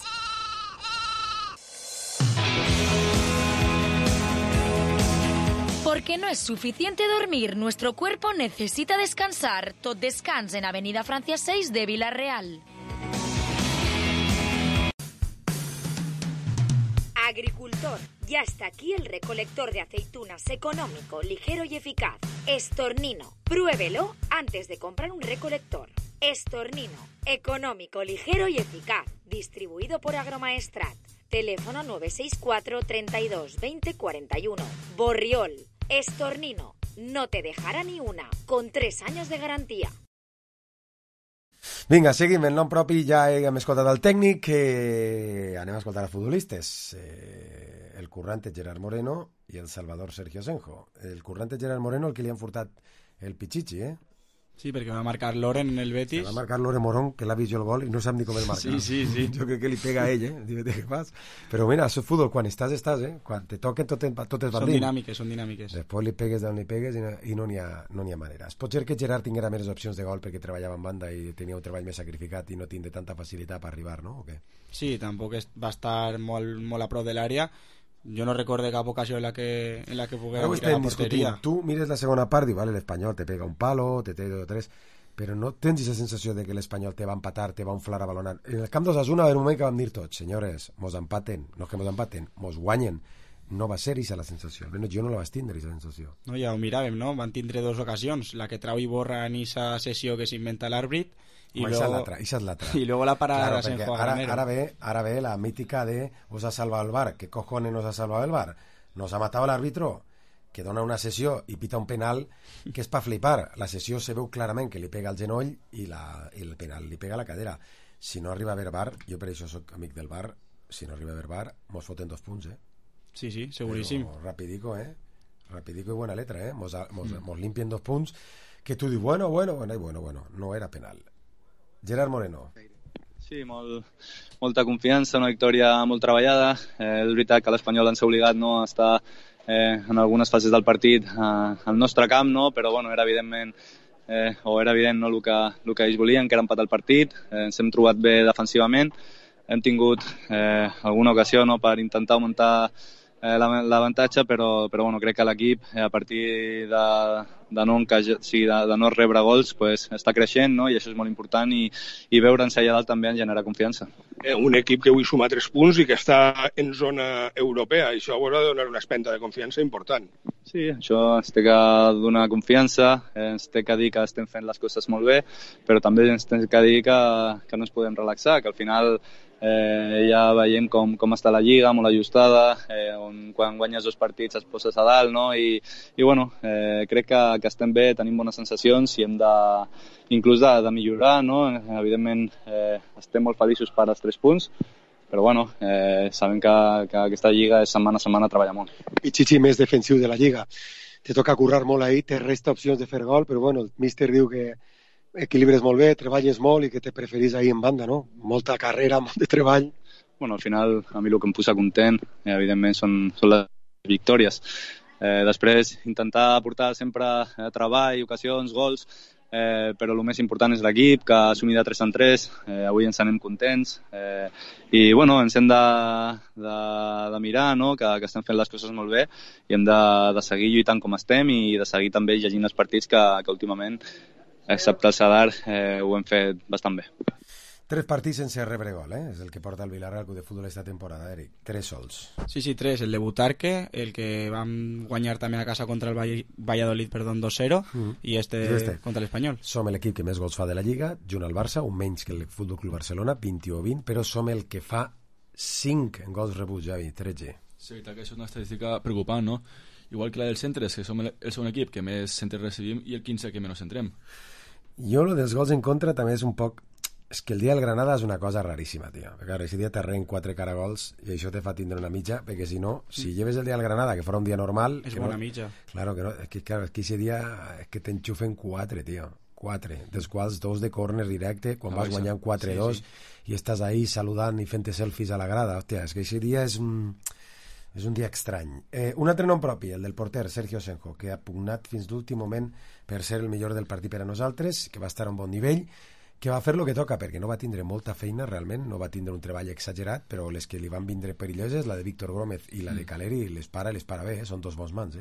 Porque no es suficiente dormir, nuestro cuerpo necesita descansar. Tot Descans en Avenida Francia 6 de Villarreal. Agricultor, ya está aquí el recolector de aceitunas económico, ligero y eficaz. Estornino, pruébelo antes de comprar un recolector. Estornino, económico, ligero y eficaz. Distribuido por Agromaestrat. Teléfono 964 32 20 41. Borriol. Estornino, no te dejarà ni una, con 3 anys de garantia. Vinga, seguim el nom propi, ja hem escoltat el tècnic, anem a escoltar els futbolistes. El currante Gerard Moreno i el Salvador Sergio Senjo. El currante Gerard Moreno, el que li han furtat el Pichichi, Sí, perquè va marcar Loren en el Betis. Va marcar Loren Morón, que l'ha vist jo el gol i no sap ni com el marcar. Sí. Jo crec que li pega a ell, Dime què fas. Però mira, això és futbol, quan estàs. Quan te toquen, totes van dins. Són dinàmiques. Després li pegues d'on li pegues i no n'hi ha manera. Pot ser que Gerard tinguera més opcions de gol perquè treballava en banda i tenia un treball més sacrificat i no tindre tanta facilitat per arribar, no? O què? Sí, tampoc va estar molt a prop de l'àrea. Jo no recordo cap ocasió en la que poguera tirar a porteria. Tu mires la segona part i vale, l'Espanyol te pega un palo, te té 2 o 3, però no tens aquesta sensació de que l'Espanyol te va empatar, te va inflar a balonar. En el camp d'Osasuna va haver un moment que vam dir tots, senyores, mos empaten, no és que mos empaten, mos guanyen. No va ser aquesta la sensació, almenys jo no la vaig tindre, aquesta sensació. No, ja ho miràvem, no? Van tindre 2 ocasions, la que trau i borra en aquesta sessió que s'inventa l'àrbit i l'altra. Y luego la parada de Senjo. Ahora ve la mítica de os ha salvado el VAR. ¿Qué cojones nos ha salvado el VAR? Nos ha matado el árbitro que dona una sessió i pita un penal que és per flipar. La sessió se veu clarament que li pega al genoll i el penal li pega a la cadera. Si no arriba a haver VAR, jo per això soc amic del VAR, si no arriba a haver VAR mos foten 2 punts, Sí, seguríssim. Però rapidico i buena letra, mos limpien 2 punts que tu dius, bueno, no era penal. Gerard Moreno. Sí, molta confiança, una victòria molt treballada. És veritat que l'Espanyol ens ha obligat a estar en algunes fases del partit al nostre camp, però era evident el que ells volien, que era empatar el partit. Ens hem trobat bé defensivament, hem tingut alguna ocasió per intentar augmentar l'avantatge, però crec que l'equip a partir de no rebre gols està creixent, i això és molt important, i veure'ns allà dalt també en genera confiança. Un equip que avui suma 3 punts i que està en zona europea, i això haurà de donar una espenta de confiança important. Sí, això ens té que donar confiança, ens té que dir que estem fent les coses molt bé, però també ens té que dir que no ens podem relaxar, que al final ja veiem com està la Lliga, molt ajustada, on quan guanyes 2 partits et poses a dalt, i crec que estem bé, tenim bones sensacions i hem inclús de millorar, evidentment estem molt feliços per als 3 punts, però sabem que aquesta Lliga és setmana a setmana treballar molt. Pichichi més defensiu de la Lliga, te toca currar molt ahí, te resta opcions de fer gol, però el míster diu que equilibres molt bé, treballes molt i que te preferís ahir en banda, no? Molta carrera, molt de treball. Al final, a mi el que em posa content, evidentment, són les victòries. Després, intentar aportar sempre treball, ocasions, gols, però el més important és l'equip, que ha assumit de 3 en 3, avui ens anem contents, i ens hem de mirar, que estem fent les coses molt bé, i hem de seguir lluitant com estem i de seguir també llegint els partits que últimament, excepte el Sadar, ho hem fet bastant bé. 3 partits sense rebre gol, és el que porta el Villarreal Club de Futbol esta temporada, Eric. 3 sols. Sí, 3. El de Butarque, el que vam guanyar també a casa contra el Valladolid, 2-0, i este contra l'Espanyol. Som l'equip que més gols fa de la Lliga, junt al Barça, un menys que el Futbol Club Barcelona, 21-20, però som el que fa 5 gols rebuts, Javi, 13. Sí, que és una estadística preocupant, no? Igual que la del centre, és que som el segon equip que més centres recibim i el 15 que menys centrem. Jo, lo dels gols en contra també és un poc... És que el dia del Granada és una cosa raríssima, tio. Perquè ara, aquest dia t'arren 4 caragols i això te fa tindre una mitja, perquè si no, si lleves el dia del Granada, que fora un dia normal... És bona mitja. Claro, que no, és que aquest dia és que t'enxufen 4, tio. 4, dels quals 2 de córner directe, quan vas guanyant 4-2 i estàs ahí saludant i fent selfies a la grada. Hòstia, és que aquest dia és un dia estrany. Un altre nom propi, el del porter, Sergio Senjo, que ha pugnat fins l'últim moment per ser el millor del partit per a nosaltres, que va estar a un bon nivell, que va fer el que toca, perquè no va tindre molta feina realment, no va tindre un treball exagerat, però les que li van vindre perilloses, la de Víctor Gómez i la de Caleri, les para bé, són 2 bons mans,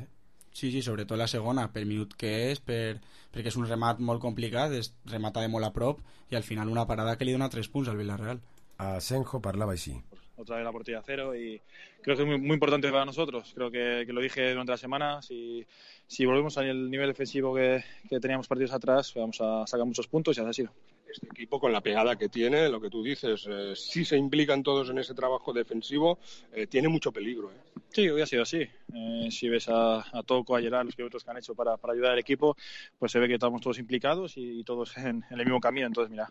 Sí, sobretot la segona, per minut que és, perquè és un remat molt complicat, remata de molt a prop, i al final una parada que li dona 3 punts al Villarreal. A Senjo parlava així. Otra vez la portería a 0 y creo que es muy importante para nosotros. Creo que lo dije durante la semana. Si volvemos al nivel defensivo que teníamos partidos atrás, vamos a sacar muchos puntos y así ha sido. Este equipo, con la pegada que tiene, lo que tú dices, si se implican todos en ese trabajo defensivo, tiene mucho peligro. Sí, hoy ha sido así. Si ves a Toco, a Gerard, los kilómetros que han hecho para ayudar al equipo, pues se ve que estamos todos implicados y todos en el mismo camino. Entonces, mira,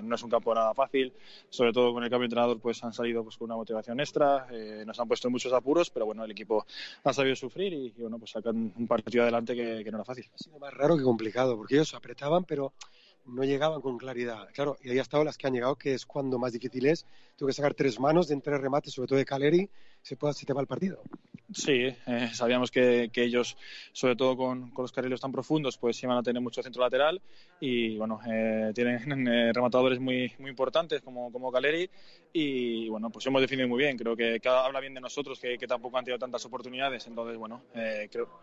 no es un campo nada fácil. Sobre todo con el cambio de entrenador, pues han salido pues con una motivación extra. Nos han puesto en muchos apuros, pero bueno, el equipo ha sabido sufrir y bueno, pues sacan un partido adelante que no era fácil. Ha sido más raro que complicado, porque ellos apretaban, pero no llegaban con claridad. Claro, y ahí ha estado las que han llegado, que es cuando más difícil es. Tengo que sacar 3 manos de 3 remates, sobre todo de Caleri, se te va el partido. Sí, sabíamos que ellos, sobre todo con los carriles tan profundos, pues iban a tener mucho centro lateral y bueno, tienen rematadores muy importantes como Caleri y bueno, pues hemos definido muy bien. Creo que habla bien de nosotros, que tampoco han tenido tantas oportunidades. Entonces, bueno, creo...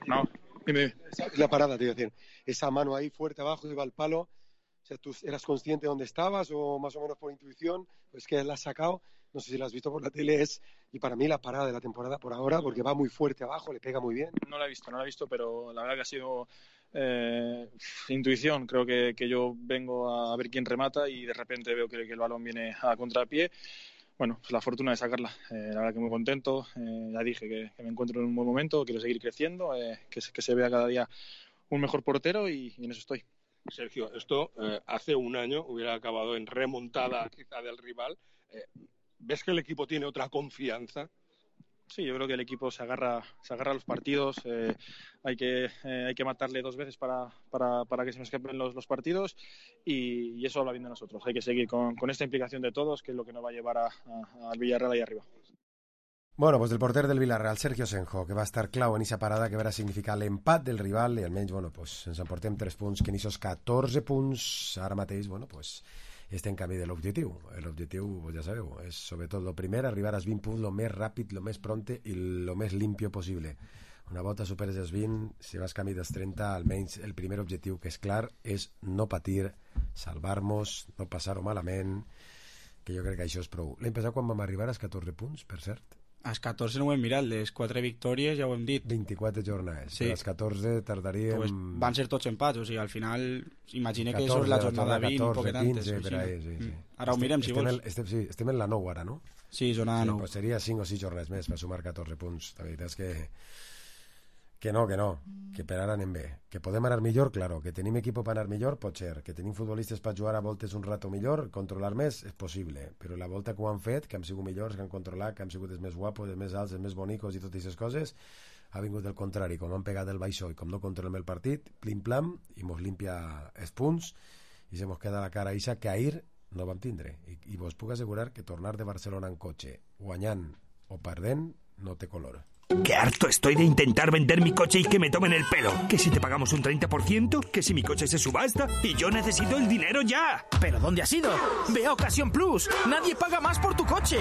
No. Dime. La parada, te iba a decir. Esa mano ahí fuerte abajo, iba al palo. O sea, ¿tú eras consciente de dónde estabas o más o menos por intuición? Pues que la has sacado. No sé si la has visto por la tele. Y para mí la parada de la temporada por ahora, porque va muy fuerte abajo, le pega muy bien. No la he visto, pero la verdad que ha sido intuición. Creo que yo vengo a ver quién remata y de repente veo que el balón viene a contrapié. Bueno, pues la fortuna de sacarla. La verdad que muy contento. Ya dije que me encuentro en un buen momento, quiero seguir creciendo, que se vea cada día un mejor portero y en eso estoy. Sergio, esto hace un año hubiera acabado en remontada quizá del rival. ¿Ves que el equipo tiene otra confianza? Sí, yo creo que el equipo se agarra a los partidos. Hay que matarle 2 veces para que se nos escapen los partidos y eso habla bien de nosotros. Hay que seguir con esta implicación de todos, que es lo que nos va a llevar al Villarreal ahí arriba. Bueno, pues del porter del Villarreal, Sergio Senjo, que va estar clau en aquesta parada que va significar l'empat del rival i almenys, bueno, pues, ens emportem 3 punts, que en aquests 14 punts ara mateix, bueno, pues, estem en camí de l'objectiu. L'objectiu, pues ja sabeu, és sobretot el primer, arribar als 20 punts lo més ràpid, lo més pronte i lo més limpio possible. Una volta superes els 20, si vas camí dels 30, almenys el primer objectiu, que és clar, és no patir, salvar-nos, no passar-ho malament, que jo crec que això és prou. L'any passat quan vam arribar als 14 punts, per cert? Als 14 no ho hem mirat, les 4 victòries ja ho hem dit. 24 jornades, sí. A les 14 tardaríem... Pues van ser tots empats, o sigui, al final imagina que és la jornada 20, 14, poquet 15, antes. Sí. Ara ho mirem, si vols. Estem en la 9 ara, no? Sí, jornada 9. Pues seria 5 o 6 jornades més per sumar 14 punts. La veritat és que no, que per ara anem bé. Que podem anar millor, claro, que tenim equip per anar millor, pot ser. Que tenim futbolistes per jugar a voltes un rato millor, controlar més, és possible. Però la volta que ho han fet, que han sigut millors, que han controlat, que han sigut els més guapos, els més alts, els més bonicos i totes aquestes coses, ha vingut del contrari. Com han pegat el baixó i com no controlem el partit, plim-plam, i mos limpia els punts, i se mos queda la cara ixa que ahir no vam tindre. I vos puc assegurar que tornar de Barcelona en cotxe, guanyant o perdent, no té color. ¡Qué harto estoy de intentar vender mi coche y que me tomen el pelo! Que si te pagamos un 30%, que si mi coche se subasta y yo necesito el dinero ya. ¿Pero dónde has ido? ¡Ve a Ocasión Plus! ¡Nadie paga más por tu coche!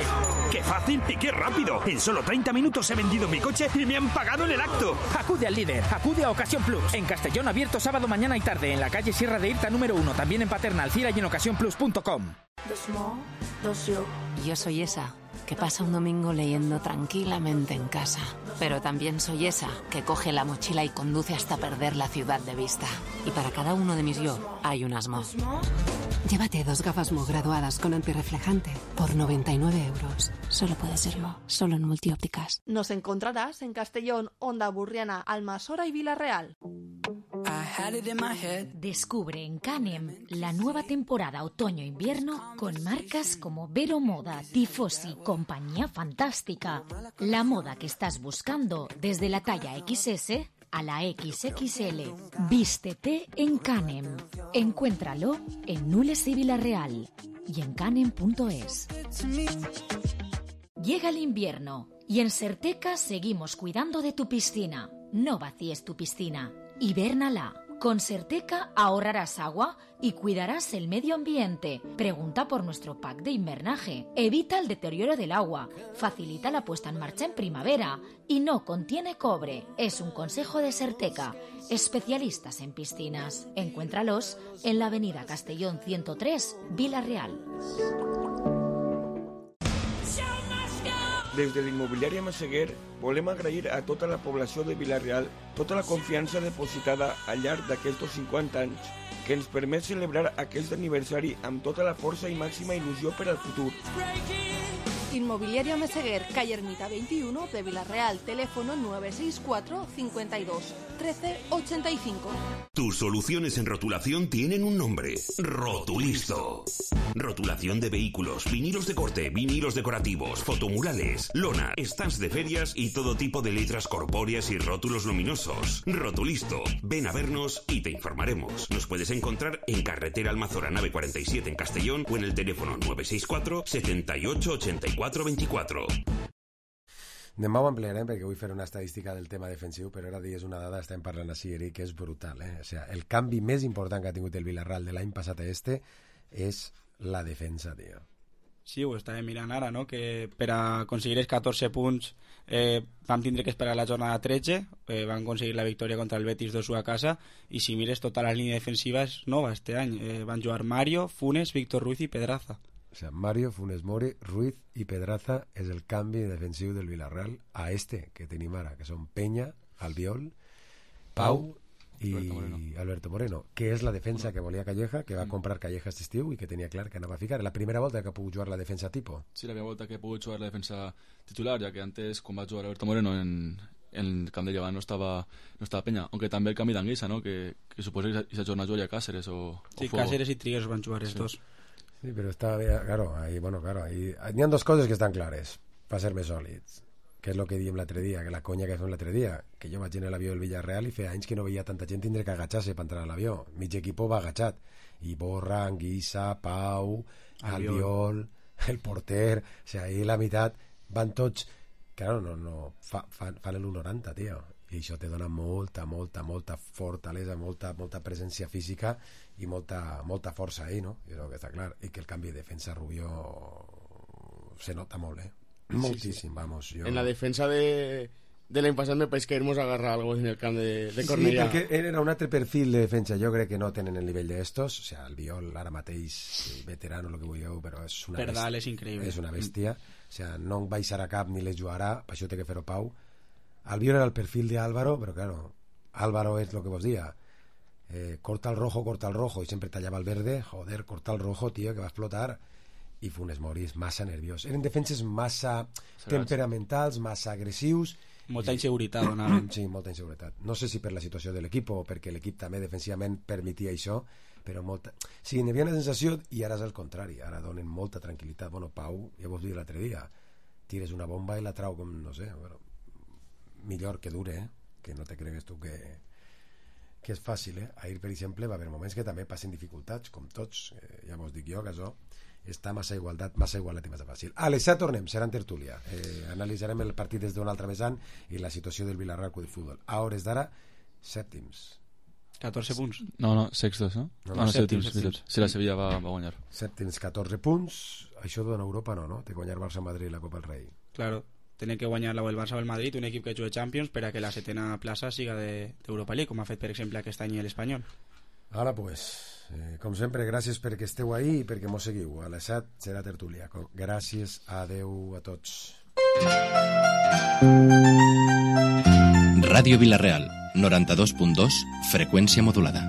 ¡Qué fácil y qué rápido! En solo 30 minutos he vendido mi coche y me han pagado en el acto. Acude al líder, acude a Ocasión Plus. En Castellón, abierto sábado, mañana y tarde. En la calle Sierra de Irta número 1. También en Paterna, Alcira y en ocasiónplus.com. Yo soy esa que pasa un domingo leyendo tranquilamente en casa. Pero también soy esa que coge la mochila y conduce hasta perder la ciudad de vista. Y para cada uno de mis yo hay un Asmo. Llévate 2 gafas Mo graduadas con antirreflejante por 99 euros. Solo puede ser Mo, solo en Multiópticas. Nos encontrarás en Castellón, Onda Burriana, Almasora y Villarreal. Descubre en Canem la nueva temporada otoño-invierno con marcas como Vero Moda, Tifosi, Compañía Fantástica. La moda que estás buscando desde la talla XS a la XXL. Vístete en Canem. Encuéntralo en Nules y Villarreal y en canem.es. Llega el invierno y en Serteca seguimos cuidando de tu piscina. No vacíes tu piscina, hibérnala. Con Serteca ahorrarás agua y cuidarás el medio ambiente. Pregunta por nuestro pack de invernaje. Evita el deterioro del agua, facilita la puesta en marcha en primavera y no contiene cobre. Es un consejo de Serteca, especialistas en piscinas. Encuéntralos en la avenida Castellón 103, Vila-real. Des de l'immobiliària Massaguer volem agrair a tota la població de Vila-real tota la confiança depositada al llarg d'aquests 50 anys que ens permet celebrar aquest aniversari amb tota la força i màxima il·lusió per al futur. Inmobiliaria Meseguer, calle Ermita 21 de Vila-real, teléfono 964 52 13 85. Tus soluciones en rotulación tienen un nombre: Rotulisto. Rotulación de vehículos, vinilos de corte, vinilos decorativos, fotomurales, lona, stands de ferias y todo tipo de letras corpóreas y rótulos luminosos. Rotulisto. Ven a vernos y te informaremos. Nos puedes encontrar en carretera Almazora nave 47 en Castellón o en el teléfono 964 78 84 24. Demà ho ampliarem perquè vull fer una estadística del tema defensiu, però ara digues una dada, estem parlant així, Eric, que és brutal. O sea, el canvi més important que ha tingut el Villarreal de l'any passat a este és la defensa, tio. Sí, ho estàvem mirant ara, no? Que per a aconseguir els 14 punts vam tindre que esperar la jornada 13, van aconseguir la victòria contra el Betis 2-1 a casa, i si mires tota la línia defensiva és nova este any. Van jugar Mario, Funes, Víctor Ruiz i Pedraza. O sea, Mario, Funes Mori, Ruiz i Pedraza és el canvi defensiu del Villarreal a este que tenim ara, que són Peña, Albiol, Pau i Alberto Moreno, que és la defensa que volia Calleja, que va comprar Calleja aquest estiu i que tenia clar que anava a ficar. La primera volta que ha pogut jugar la defensa tipo. Sí, la primera volta que ha pogut jugar la defensa titular, ja que antes, quan va jugar Alberto Moreno en el camp de Llevant no estava Peña, aunque també el canvi d'Anguissa, no? que suposa que s'ha jornat jugar Cáceres o sí, Fuego. Cáceres i Trigueros van jugar els dos. Sí, pero está bien, claro, ahí, hi ha dos coses que estan clares per ser més sòlids, que és el que diem l'altre dia, que la conya que fem l'altre dia, que jo vaig en l'avió del Villarreal i feia anys que no veia tanta gent tindre que agachar-se per entrar a l'avió. Mig equip va agachat, i Borra, Anguissa, Pau, Albiol, el porter, o sea, ahí la meitat van tots, claro, fan l'1,90, tio, i això te dona molta fortalesa, molta presència física i molta força ahí, no? I el que està clar, i que el canvi de defensa Rubio se nota molt, moltíssim, sí. Vamos, yo... En la defensa de l'any passat me pareix que hemos agarrat algo en el camp de Cornellà. Sí, perquè era un altre perfil de defensa, jo crec que no tenen el nivell d'estos, o sea, el Biol ara mateix, veterano, lo que vulgueu, però és una Perdal és increïble. És una bèstia, o sea, no en baixarà cap ni les jugarà, per això té que fer-ho Pau. El Biol era el perfil de Álvaro, però claro, Álvaro és lo que vos dia, corta el rojo, i sempre tallava el verde, joder, corta el rojo, tío, que va explotar. I Funes Mori és massa nerviós. Eren defenses massa temperamentals, massa agressius. Molta inseguretat donaven. Sí, molta inseguretat. No sé si per la situació de l'equip o perquè l'equip també defensivament permetia això, però molta... Sí, n'hi havia una sensació, i ara és el contrari, ara donen molta tranquil·litat. Bueno, Pau, ja vos dic l'altre dia, tires una bomba i la trau com, no sé, però millor que dure, que no te cregues tu que és fàcil, Ahir, per exemple, va haver moments que també passen dificultats, com tots, ja vos dic jo, que això està massa igualat i massa fàcil. A les 7 tornem, serà en tertúlia. Analitzarem el partit des d'un altre vessant i la situació del Villarreal Club de Futbol. A hores d'ara, sèptims. 14 punts. No, sextos, no? No, sèptims. Si la Sevilla va guanyar. Sèptims, 14 punts. Això dona Europa, no? De guanyar Barça-Madrid la Copa del Rei. Claro, tenen que guanyar el Barça o el Madrid, un equip que juga Champions, per a que la setena plaça siga d'Europa League, com ha fet, per exemple, aquest any l'Espanyol. Ara, pues... com sempre, gràcies perquè esteu ahí i perquè mos seguiu. A les 7 serà tertúlia. Gràcies, adeu a tots. Ràdio Vila-real, 92.2, freqüència modulada.